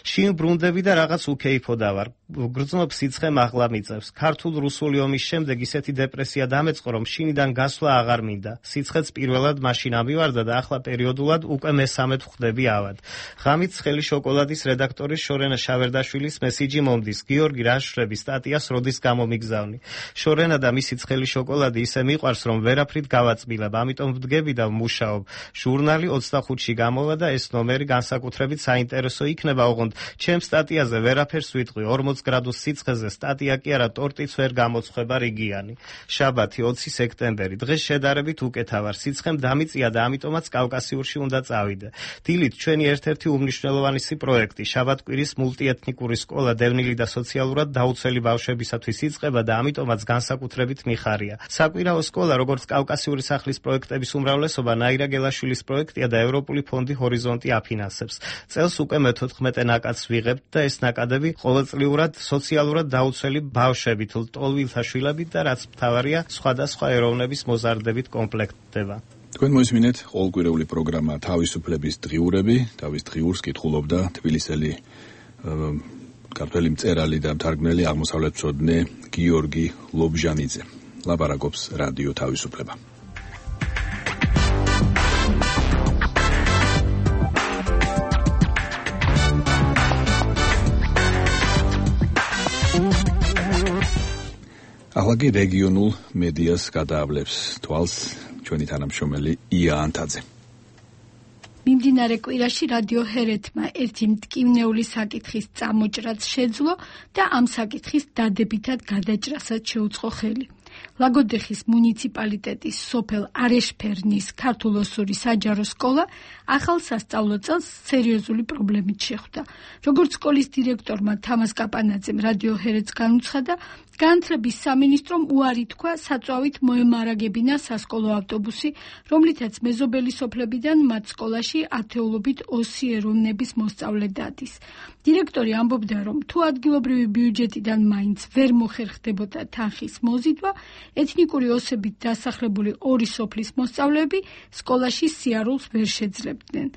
შინ ბრუნდები და რაღაც უკეიფოდა ვარ. გრძნობ სიცხე მაღლა მიწევს. ქართულ რუსული ომის შემდეგ ისეთი დეპრესია დამეწყო, რომ შინიდან გასვლა აღარ მინდა. სიცხეც პირველად მაშინ ამივარდა და ახლა პერიოდულად უკვე მესამედ ხვდები ავად. ღამით ცხელი შოკოლადის რედაქტორის შორენა შავერდაშვილის მესიჯი მომდის. გიორგი რაშრები სტატიას როდის გამომიგზავნი. შორენა და მისი ცხელი შოკოლადი ისე მიყვარს, რომ ვერაფრით გავაწმილებ, ამიტომ ვდგები და ვმუშაობ. ჟურნალი ოცდახუთში გამოვა და ეს ნომერი განსაკუთრებით საინტერესო იქნება, ოღონდ ჩემ სტატიაზე ვერაფერს ვიტყვი. ორმოც გრადუს სიცხეზე სტატია კი არა, ტორტიც ვერ გამოცხება რიგიანი. შაბათი ოცი სექტემბერი. დღეს შედარებით უკეთა ვარ. სიცხემ დამიწია და ამიტომაც კავკასიურში უნდა წავიდე. დილით ჩვენი ერთ-ერთი უმნიშვნელოვანესი პროექტი, შაბათკვირის მულტიეთნიკური სკოლა დევნილი და სოციალურად დაუცველი ბავშვებისათვის იწყება და ამიტომაც განსაკუთრებით მიხარია. საკვირაო სკოლა, როგორც კავკასიური სახლის პროექტების უმრავლესობა, ნაირა გელაშვილის პროექტია და ევროპული ფონდი ჰორიზონტი აფინანსებს. წელს უკვე მეთოთხმეტე ნაკადს ვიღებთ და ეს ნაკადები ყოველწლიურად სოციალურად დაუცველი ბავშვებით, ლტოლვილთა შვილებით და რაც მთავარია, სხვადასხვა ეროვნების მოზარდებით კომპლექტდება. თქვენ მოისმინეთ ყოველკვირეული პროგრამა თავისუფლების დღიურები, თავის დღიურს კითხულობდა თბილისელი ქართველი მწერალი და მთარგმნელი აღმოსავლეთმცოდნე გიორგი ლობჟანიძე. ლაპარაკობს რადიო თავისუფლება. ახლა კი რეგიონულ მედიას გადაავლებს თვალს ჩვენი თანამშრომელი ია ანთაძე. მიმდინარე კვირაში რადიო ჰერეთმა ერთი მტკივნეული საკითხის წამოჭრაც შეძლო და ამ საკითხის დადებითად გადაჭრასაც შეუწყო ხელი. ლაგოდეხის მუნიციპალიტეტის სოფელ არეშფერნის ქართულ-ოსური საჯარო სკოლა ახალ სასწავლო წელს სერიოზული პრობლემით შეხვდა. როგორც სკოლის დირექტორმა თამას კაპანაძემ რადიო ჰერეთს განუცხადა, განათლების სამინისტრომ უარი თქვა საწვავით მოემარაგებინა სასკოლო ავტობუსი, რომლითაც მეზობელი სოფლებიდან მათ სკოლაში ათეულობით ოსი ეროვნების მოსწავლე დადის. დირექტორი ამბობდა, რომ თუ ადგილობრივი ბიუჯეტიდან მაინც ვერ მოხერხდებოდა თანხის მოზიდვა, ეთნიკური ოსებით დასახლებული ორი სოფლის მოსწავლეები სკოლაში სიარულს ვერ შეძლებდნენ.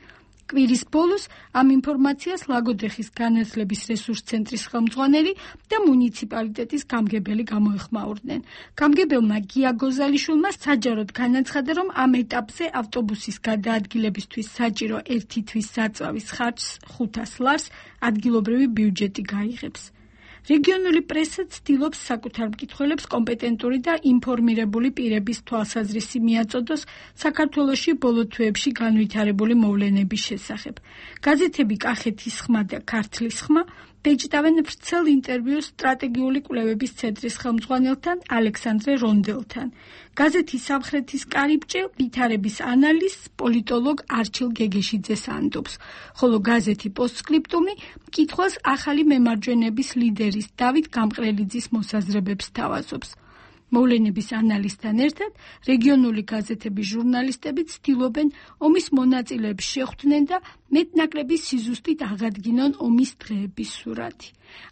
კვირის ბოლოს ამ ინფორმაციას ლაგოდეხის განათლების რესურს ცენტრის ხელმძღვანელი და მუნიციპალიტეტის გამგებელი გამოეხმაურდნენ. გამგებელმა გია გოზალიშვილმა საჯაროდ განაცხადა, რომ ამ ეტაპზე ავტობუსის გადაადგილებისთვის საჭირო ერთი თვის საწვავის ხარჯს ხუთას ლარს ადგილობრივი ბიუჯეტი გაიღებს. რეგიონული პრესა ცდილობს საკუთარ მკითხველებს კომპეტენტური და ინფორმირებული პირების თვალსაზრისი მიაწოდოს საქართველოში ბოლო თვეებში განვითარებული მოვლენების შესახებ. გაზეთები კახეთის ხმა და ქართლის ხმა ბეჭდავენ ვრცელ ინტერვიუს სტრატეგიული კვლევების ცენტრის ხელმძღვანელთან ალექსანდრე რონდელთან. გაზეთი სამხრეთის კარიბჭე ვითარების ანალიზს პოლიტოლოგ არჩილ გეგეშიძეს ანდობს, ხოლო გაზეთი პოსტსკრიპტუმი მკითხვას ახალი მემარჯვენების ლიდერის დავით გამყრელიძის მოსაზრებებს თავაზობს. მოვლენების ანალიზთან ერთად რეგიონული გაზეთების ჟურნალისტები ცდილობენ ომის მონაწილეებს შეხვდნენ და მეტნაკლები სიზუსტით აღადგინონ ომის დღეების სურათი.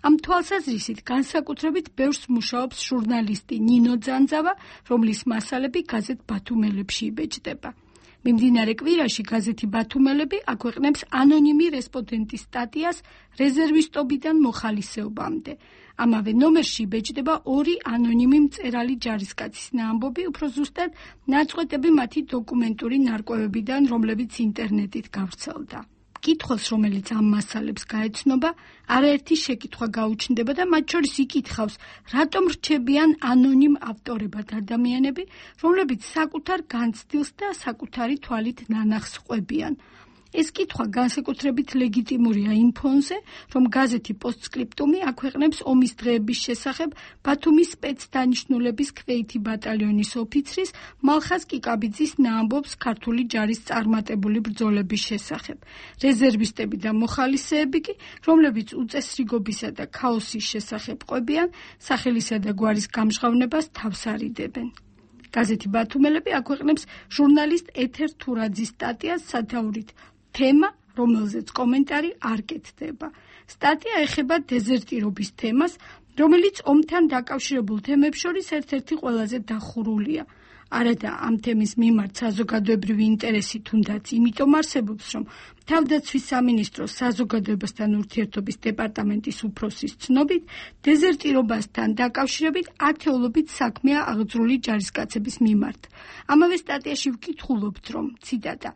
ამ თვალსაზრისით განსაკუთრებით ბევრს მუშაობს ჟურნალისტი ნინო ძანძავა, რომლის მასალები გაზეთ ბათუმელებში იბეჭდება. მიმდინარე კვირაში გაზეთი ბათუმელები აქვეყნებს ანონიმი რესპონდენტის სტატიას რეზერვისტობიდან მოხალისეობამდე. ამავე ნომერში იბეჭდება ორი ანონიმი მწერალი ჯარისკაცის ნაამბობი, უფრო ზუსტად ნაწყვეტები მათი დოკუმენტური ნარკვევებიდან, რომლებიც ინტერნეტით გავრცელდა. კითხოს, რომელიც ამ მასალებს გაეცნობა, არაერთი შეკითხვა გაუჩნდება და მათ შორის იკითხავს, რატომ რჩებიან ანონიმ ავტორებად ადამიანები, რომლებიც საკუთარ განცდილს და საკუთარი თვალით ნანახს ყვებიან. ეს კითხვა განსაკუთრებით ლეგიტიმურია იმ ფონზე, რომ გაზეთი პოსტსკრიპტუმი აქვეყნებს ომის დღეების შესახებ ბათუმის სპეცდანიშნულების ქვეითი ბატალიონის ოფიცრის მალხაზ კიკაბიძის ნაამბობს ქართული ჯარის წარმატებული ბრძოლების შესახებ. რეზერვისტები და მოხალისეები კი, რომლებიც უწესრიგობისა და ქაოსის შესახებ ყვებიან, სახელისა და გვარის გამჟღავნებას თავს არიდებენ. გაზეთი ბათუმელები აქვეყნებს ჟურნალისტ ეთერ თურაძის სტატიას სათაურით თემა, რომელზეც კომენტარი არ კეთდება. სტატია ეხება დეზერტირობის თემას, რომელიც ომთან დაკავშირებულ თემებს შორის ერთ-ერთი ყველაზე დახურულია. არადა ამ თემის მიმართ საზოგადოებრივი ინტერესი თუნდაც იმიტომ არსებობს, რომ თავდაცვის სამინისტროს საზოგადოებასთან ურთიერთობის დეპარტამენტის უფროსის ცნობით, დეზერტირობასთან დაკავშირებით ათეულობით საქმეა აღძრული ჯარისკაცების მიმართ. ამავე სტატიაში ვკითხულობთ, რომ ციტატა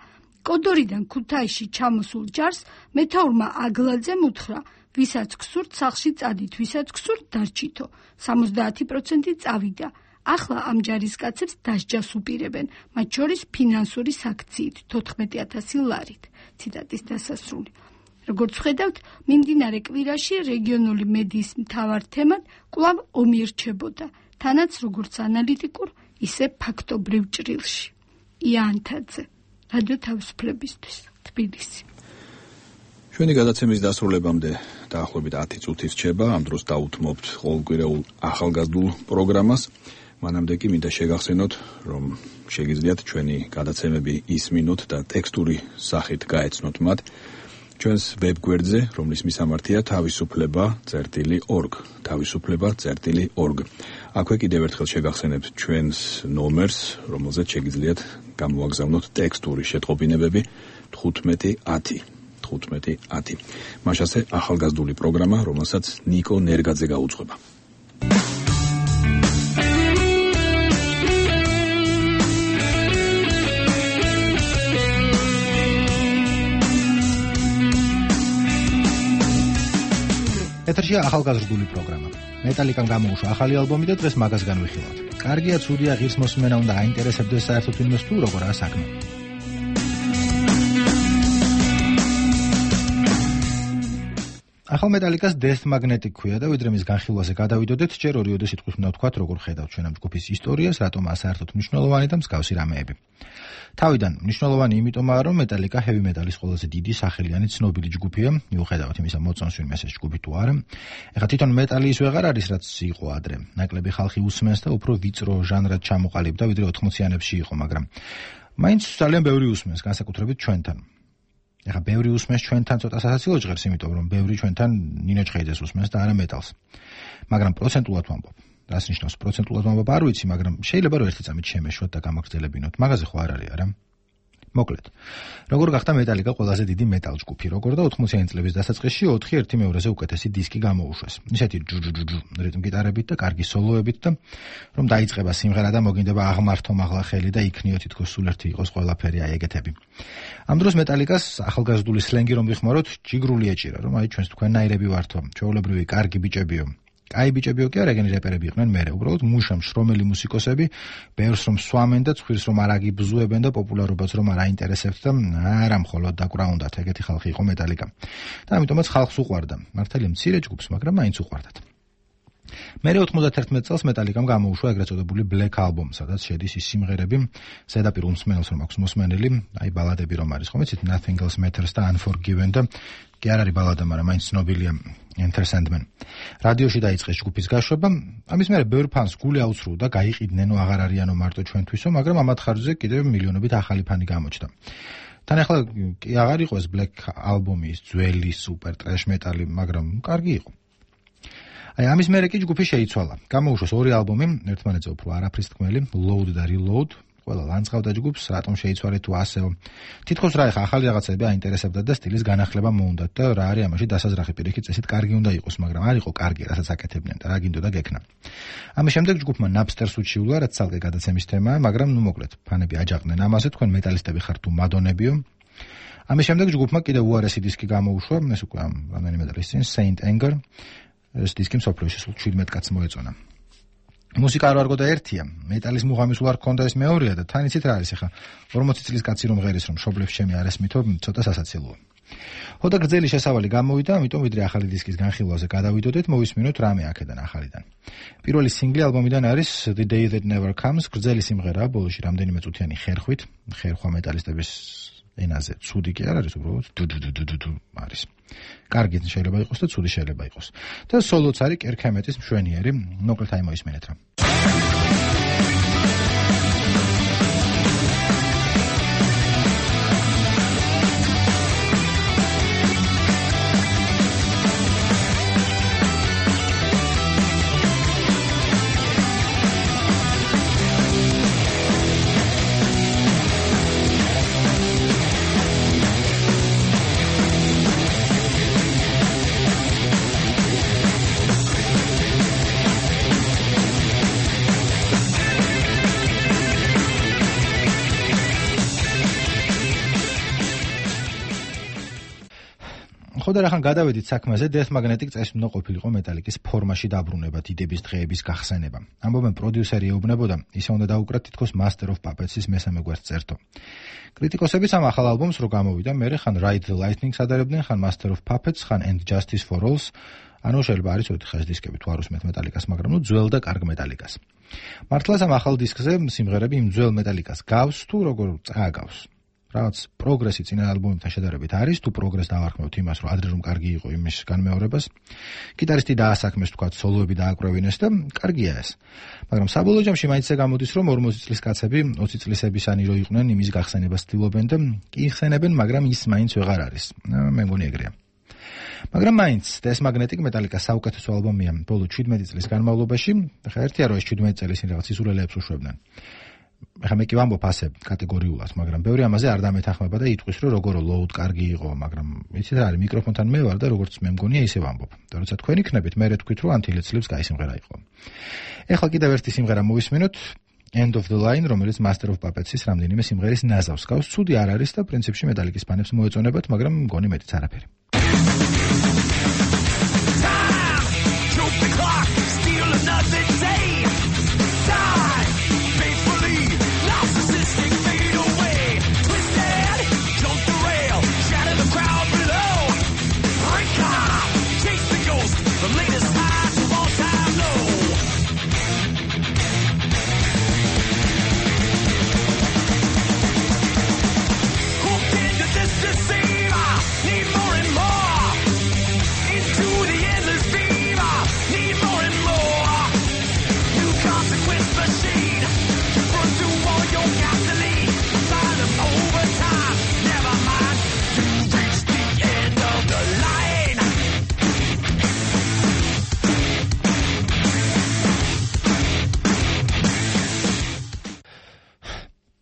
კოდორიდან ქუთაისში ჩამოსულ ჯარს მეთაურმა აგლაძემ უთხრა, ვისაც გსურთ სახლში წადით, ვისაც გსურთ დარჩითო. სამოცდაათი პროცენტი წავიდა. ახლა ამ ჯარისკაცებს დასჯას უპირებენ, მათ შორის ფინანსური საქციით თოთხმეტი ათასი ლარით. ციტატის დასასრული. როგორც ხედავთ, მიმდინარე კვირაში რეგიონული მედიის მთავარ თემად კვლავ ომი რჩებოდა, თანაც როგორც ანალიტიკურ, ისე ფაქტობრივ ჭრილში. იანთაძე, რადიო თავისუფლებისთვის, თბილისი. ჩვენი გადაცემის დასრულებამდე დაახლოებით ათი წუთი რჩება, ამ დროს დაუთმობთ ყოველკვირეულ ახალგაზრდულ პროგრამას. მანამდე კი მინდა შეგახსენოთ, რომ შეგიძლიათ ჩვენი გადაცემები ისმინოთ და ტექსტური სახით გაეცნოთ მათ ჩვენს ვებგვერდზე, რომლის მისამართია თავისუფლება წერტილი ორგ, თავისუფლება წერტილი ორგ. აქვე კიდევ ერთხელ შეგახსენებთ ჩვენს ნომერს, რომელზეც შეგიძლიათ გამოაგზავნოთ ტექსტური შეტყობინებები თხუთმეტი ათი. თხუთმეტი ათი. მაშასე ახალგაზრდული პროგრამა, რომელსაც ნიკო ნერგაძე გაუძღვება. ეთერშია ახალგაზრდული პროგრამა. მეტალიკამ გამოუშვა ახალი ალბომი და დღეს მაგას განვიხილავთ. კარგია, ცუდია, ღირს მოსმენა უნდა აინტერესებდეს საერთოდ ვინმეს თუ როგორაა საქმე. ახალ მეტალიკას Death Magnetic ქვია და ვიდრე მის განხილვაზე გადავიდოდეთ, ჯერ ორი-ორი სიტყვით უნდა ვთქვათ, როგორ ხედავთ ჩვენ ამ ჯგუფის ისტორიას, რატომაა საერთოდ მნიშვნელოვანი და მსგავსი რამეები. თავიდან მნიშვნელოვანი იმიტომაა, რომ მეტალიკა heavy metal-ის ყველაზე დიდი სახელიანი ცნობილი ჯგუფია, მიუხედავად იმისა, მოწონს ვინმე ეს ჯგუფი თუ არა. ეხლა თვითონ მეტალი ის ვეღარ არის, რაც იყო ადრე. ნაკლები ხალხი უსმენს და უფრო ვიწრო ჟანრად ჩამოყალიბდა, ვიდრე ოთხმოციანებში იყო, მაგრამ მაინც ძალიან ბევრი უსმენს, განსაკუთრებით ჩვენთან. ეხლა ბევრი უსმენს ჩვენთან ცოტა სასაცილო ჟღერს, იმიტომ რომ ბევრი ჩვენთან ნინო ჩხეიძეს უსმენს და არა მეტალს. მაგრამ პროცენტულად ვამბობ. რას ნიშნავს პროცენტულად ვამბობ, არ ვიცი, მაგრამ შეიძლება რომ ერთი წამით შემეშვათ და გამაგრძელებინოთ. მაგაზე ხო არ არის, არა? მოკლედ. როგორ გახდა მეტალიკა ყველაზე დიდი მეტალ ჯგუფი, როგორ და ოთხმოციანი წლების დასაწყისში ოთხი ერთი მეორეზე უკეთესი დისკი გამოუშვეს. ისეთი ჯუჯუჯუჯუ რიტმ გიტარებით და კარგი სოლოებით და რომ დაიწყება სიმღერა და მოგინდება აღმართო მაღლა ხელი და იქნიო თითქოს სულ ერთი იყოს ყველაფერი აი ეგეთები. ამ დროს მეტალიკას ახალგაზრდული სლენგი რომ ვიხმაროთ, ჯიგრული ეჭირა, რომ აი ჩვენს თქვენნაირები ვართო, ჩვეულებრივი კარგი ბიჭებიო. აი ბიჭებიო კი არა, ეგენი რეპერები იყვნენ მერე, უბრალოდ მუშა მშრომელი მუსიკოსები, ბევრს რომ სვამენ და ცხვირს რომ არ აგიბზუებენ და პოპულარობას რომ არ აინტერესებთ და არა მხოლოდ დაკვრაუნდათ, ეგეთი ხალხი იყო მეტალიკა. და ამიტომაც ხალხს უყვარდა. მართალია მცირე ჯგუფს, მაგრამ მაინც უყვარდათ. მერე ოთხმოცდაათერთმეტ წელს მეტალიკამ გამოუშვა ეგრეთ წოდებული Black Album, სადაც შედის ის სიმღერები, ზედაპირ უმსმენელს რომ აქვს მოსმენელი, აი ბალადები რომ არის, ხომ იცით, Nothing Else Matters და Unforgiven და კი არ არის ბალადა, მაგრამ მაინც ცნობილია Enter Sandman. რადიოში დაიწყეს ჯგუფის გაშვება, ამის მერე ბევრ ფანს გული აუცრუდა, გაიყიდნენ, აღარ არიანო მარტო ჩვენთვისო, მაგრამ ამათ ხარჯზე კიდევ მილიონობით ახალი ფანი გამოჩნდა. თან ახლა კი აღარ იყო ეს Black Album-ის ძველი super trash metal-ი, მაგრამ კარგი იყო. აი ამის მერე კი ჯგუფი შეიცვალა. გამოუშვეს ორი ალბომი, ერთმანეთზე უფრო არაფრის თქმელი, Load და Reload. ყველა ლანძღავდა ჯგუფს, რატომ შეიცვალეთ თუ ასეო. თითქოს რა ეხა ახალი რაღაცები აინტერესებდათ და სტილის განახლება მოუნდათ და რა არის ამაში დასაზრახი პირიქით წესით კარგი უნდა იყოს, მაგრამ არ იყო კარგი, რასაც აკეთებდნენ და რა გინდოდა გექნა. ამის შემდეგ ჯგუფმა Napster-ს უჩიულა, რაც ცალკე გადაცემის თემაა, მაგრამ ნუ მოკლედ, ფანები აჯაყდნენ ამაზე, თქვენ მეტალისტები ხართ თუ მადონებიო. ამის შემდეგ ჯგუფმა კიდევ უარესი დისკი გამოუშვა, ეს უკვე ამ რამდენიმე წლის წინ Saint Anger. ეს დისკი მსოფლიოში სულ შვიდმეტ კაცს მოეწონა. მუსიკა არ ვარგო და ერთია, მეტალის მუღამის უარ ქონდა ეს მეორეა და თან იცით რა არის ახლა ორმოცი წლის კაცი რომ ღერის რომ შობლებს ჩემი არ ესმითო, ცოტა სასაცილოა. ხოდა გრძელი შესავალი გამოვიდა, ამიტომ ვიდრე ახალი დისკის განხილვაზე გადავიდოდეთ, მოვისმინოთ რამე აქედან ახალიდან. პირველი სინგლი ალბომიდან არის The Day That Never Comes, გრძელი სიმღერაა, ბოლოში რამდენიმე წუთიანი ხერხვით, ხერხვა მეტალისტების ენაზე ცუდი კი არ არის, უბრალოდ დუდუდუდუდუ არის. კარგი შეიძლება იყოს და ცუდი შეიძლება იყოს. და სოლოც არის კერქემეტის მშვენიერი, მოკლედ აი მოისმენეთ რა. ხოდა რახან გადავედით საქმეზე, Death Magnetic წესმნო ყოფილიყო მეტალიკის ფორმაში დაბრუნება, დიდების დღეების გახსენება. ამბობენ პროდიუსერი ეუბნებოდა, ისე უნდა დაუკრათ თითქოს Master of Puppets-ის მესამე გვერდს წერტო. კრიტიკოსებიც ამ ახალ ალბომს რო გამოვიდა, მერე ხან Ride the Lightning-ს ადარებდნენ, ხან Master of Puppets, ხან And Justice for All-ს. ანუ შეიძლება არის ოთხი ხაზ დისკები თუ არ უსმენთ მეტალიკას, მაგრამ ნუ ძველ და კარგ მეტალიკას. მართლაც ამ ახალ დისკზე სიმღერები იმ ძველ მეტალიკას გავს თუ როგორ წააგავს. რაც პროგრესი წინა ალბომებთან შედარებით არის, თუ პროგრესს დავარქმევთ იმას, რომ ადრე რომ კარგი იყო იმის განმეორებას, გიტარისტი დაასაქმეს თქვა სოლოები დააკრევინეს და კარგია ეს. მაგრამ საბოლოო ჯამში მაინც გამოდის, რომ ორმოცი წლის კაცები ოცი წლისებისანი რო იყვნენ, იმის გახსენებას ცდილობენ და კი იხსენებენ, მაგრამ ის მაინც ვეღარ არის. მე მგონი ეგრეა. მაგრამ მაინც Death Magnetic მეტალიკას საუკეთესო ალბომია ბოლო შვიდმეტი წლის განმავლობაში, ხა ერთია რომ ეს შვიდმეტი წელი ისინი რაღაც ისულელებს უშვებდნენ. ახლა მე კი ვამბობ ასე კატეგორიულად, მაგრამ ბევრი ამაზე არ დამეთანხმება და იტყვის, რომ როგორო load კარგი იყო, მაგრამ იცით რა არის, მიკროფონთან მე ვარ და როგორც მე მგონია ისე ვამბობ. და როცა თქვენ იქნებით, მე რე თქვით, რომ Until It Sleeps კაი სიმღერა იყო. ეხლა კიდევ ერთი სიმღერა მოვისმინოთ, End of the Line, რომელიც Master of Puppets-ის რამდენიმე სიმღერის ნაზავს გავს. ცუდი არ არის და პრინციპში მეტალიკის ფანებს მოეწონებათ, მაგრამ მგონი მეტიც არაფერი.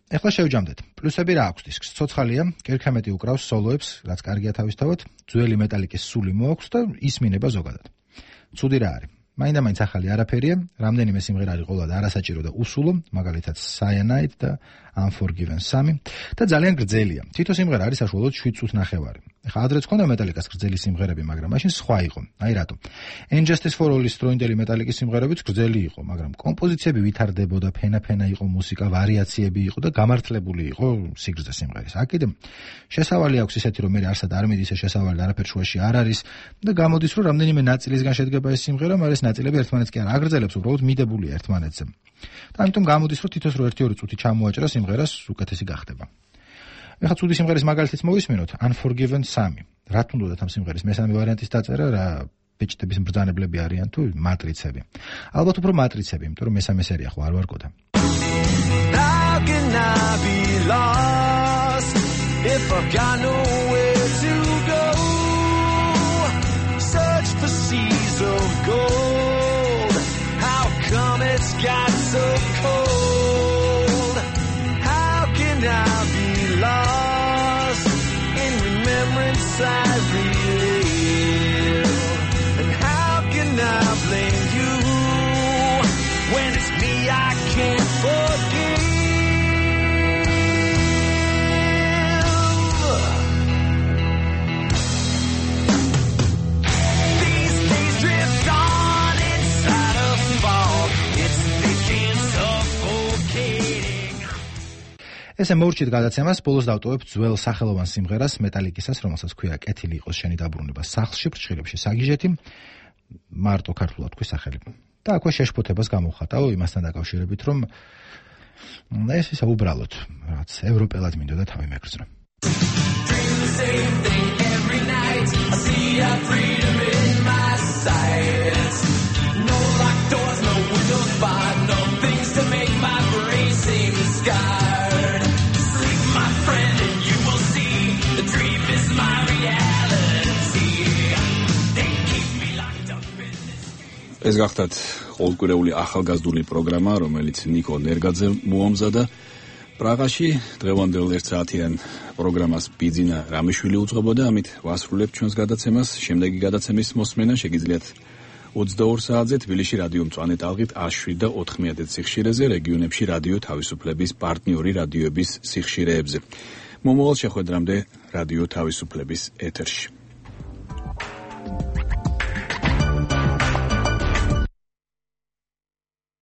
ეხლა შევჯამდეთ. პლუსები რა აქვს დისკს? ცოცხალია, კერქემეტი უკრავს სოლოებს, რაც კარგია თავისთავად, ძველი მეტალიკის სული მოაქვს და ისმინება ზოგადად. ცუდი რა არის? მაინდა-მაინც ახალი არაფერია, რამდენიმე სიმღერა არის ყოველად არასაჭირო და უსულო, მაგალითად Cyanide და Unforgiven სამი და ძალიან გრძელია. თითო სიმღერა არის საშუალოდ შვიდ წუთს ნახევარი. ეხლა ადრეც ქონდა მეტალიკას გრძელი სიმღერები, მაგრამ მაშინ სხვა იყო. აი რატო. And Justice for All-ის დროინდელი მეტალიკის სიმღერებიც გრძელი იყო, მაგრამ კომპოზიციები ვითარდებოდა, ფენა-ფენა იყო მუსიკა, ვარიაციები იყო და გამართლებული იყო სიგრძე სიმღერის. აქ კიდე შესავალი აქვს ისეთი, რომ მე არსად არ მიდის ეს შესავალი და არაფერ შუაში არ არის და გამოდის, რომ რამდენიმე ნაწილისგან შედგება ეს სიმღერა, მაგრამ ეს ნაწილები ერთმანეთს კი არ აგრძელებს, უბრალოდ მიდებულია ერთმანეთზე. და ამიტომ გამოდის, რომ თითოს რო ერთი-ორი წუთი ჩამოაჭრა სიმღერას, უკეთესი გახდება. ეხლა ცუდი სიმღერის მაგალითიც მოვისმინოთ, Unforgiven სამი. რა თუნდაც ამ სიმღერის მესამე ვარიანტის დაწერა, რა ბეჭდების მბრძანებლები არიან თუ მატრიცები. ალბათ უფრო მატრიცები, იმიტომ რომ მესამე სერია ხო არ ვარგოდა. How can I be lost if I've got nowhere to go? Search for seas of gold. How come it's got so cold? How can I be lost in remembrance I relive? And how can I blame you when it's me I can't forgive? These days drift on inside a fog. It's ესე მოურჩით გადაცემას, ბოლოს დავტოვებ ძველ სახელოვან სიმღერას მეტალიკისას, რომელსაც ქვია კეთილი იყოს შენი დაბრუნება სახლში, ფრჩხილებში საგიჟეთი, მარტო ქართულად თქვი სახელი. და აქვე შეშფოთებას გამოვხატავ იმასთან დაკავშირებით, რომ ეს ისა უბრალოდ რაც ევროპელად მინდოდა თავი მეკრძნო. ეს გახდათ ყოველკვირეული ახალგაზრდული პროგრამა, რომელიც ნიკო ნერგაძე მოამზადა. პრაღაში დღევანდელ ერთ საათიან პროგრამას ბიძინა რამიშვილი უძღვებოდა, ამით ვასრულებთ ჩვენს გადაცემას. შემდეგი გადაცემის მოსმენა შეგიძლიათ ოცდაორ საათზე თბილისში რადიო მწვანე ტალღით ას შვიდ და ოთხმეათე სიხშირეზე, რეგიონებში რადიო თავისუფლების პარტნიორი რადიოების სიხშირეებზე. მომავალ შეხვედრამდე რადიო თავისუფლების ეთერში.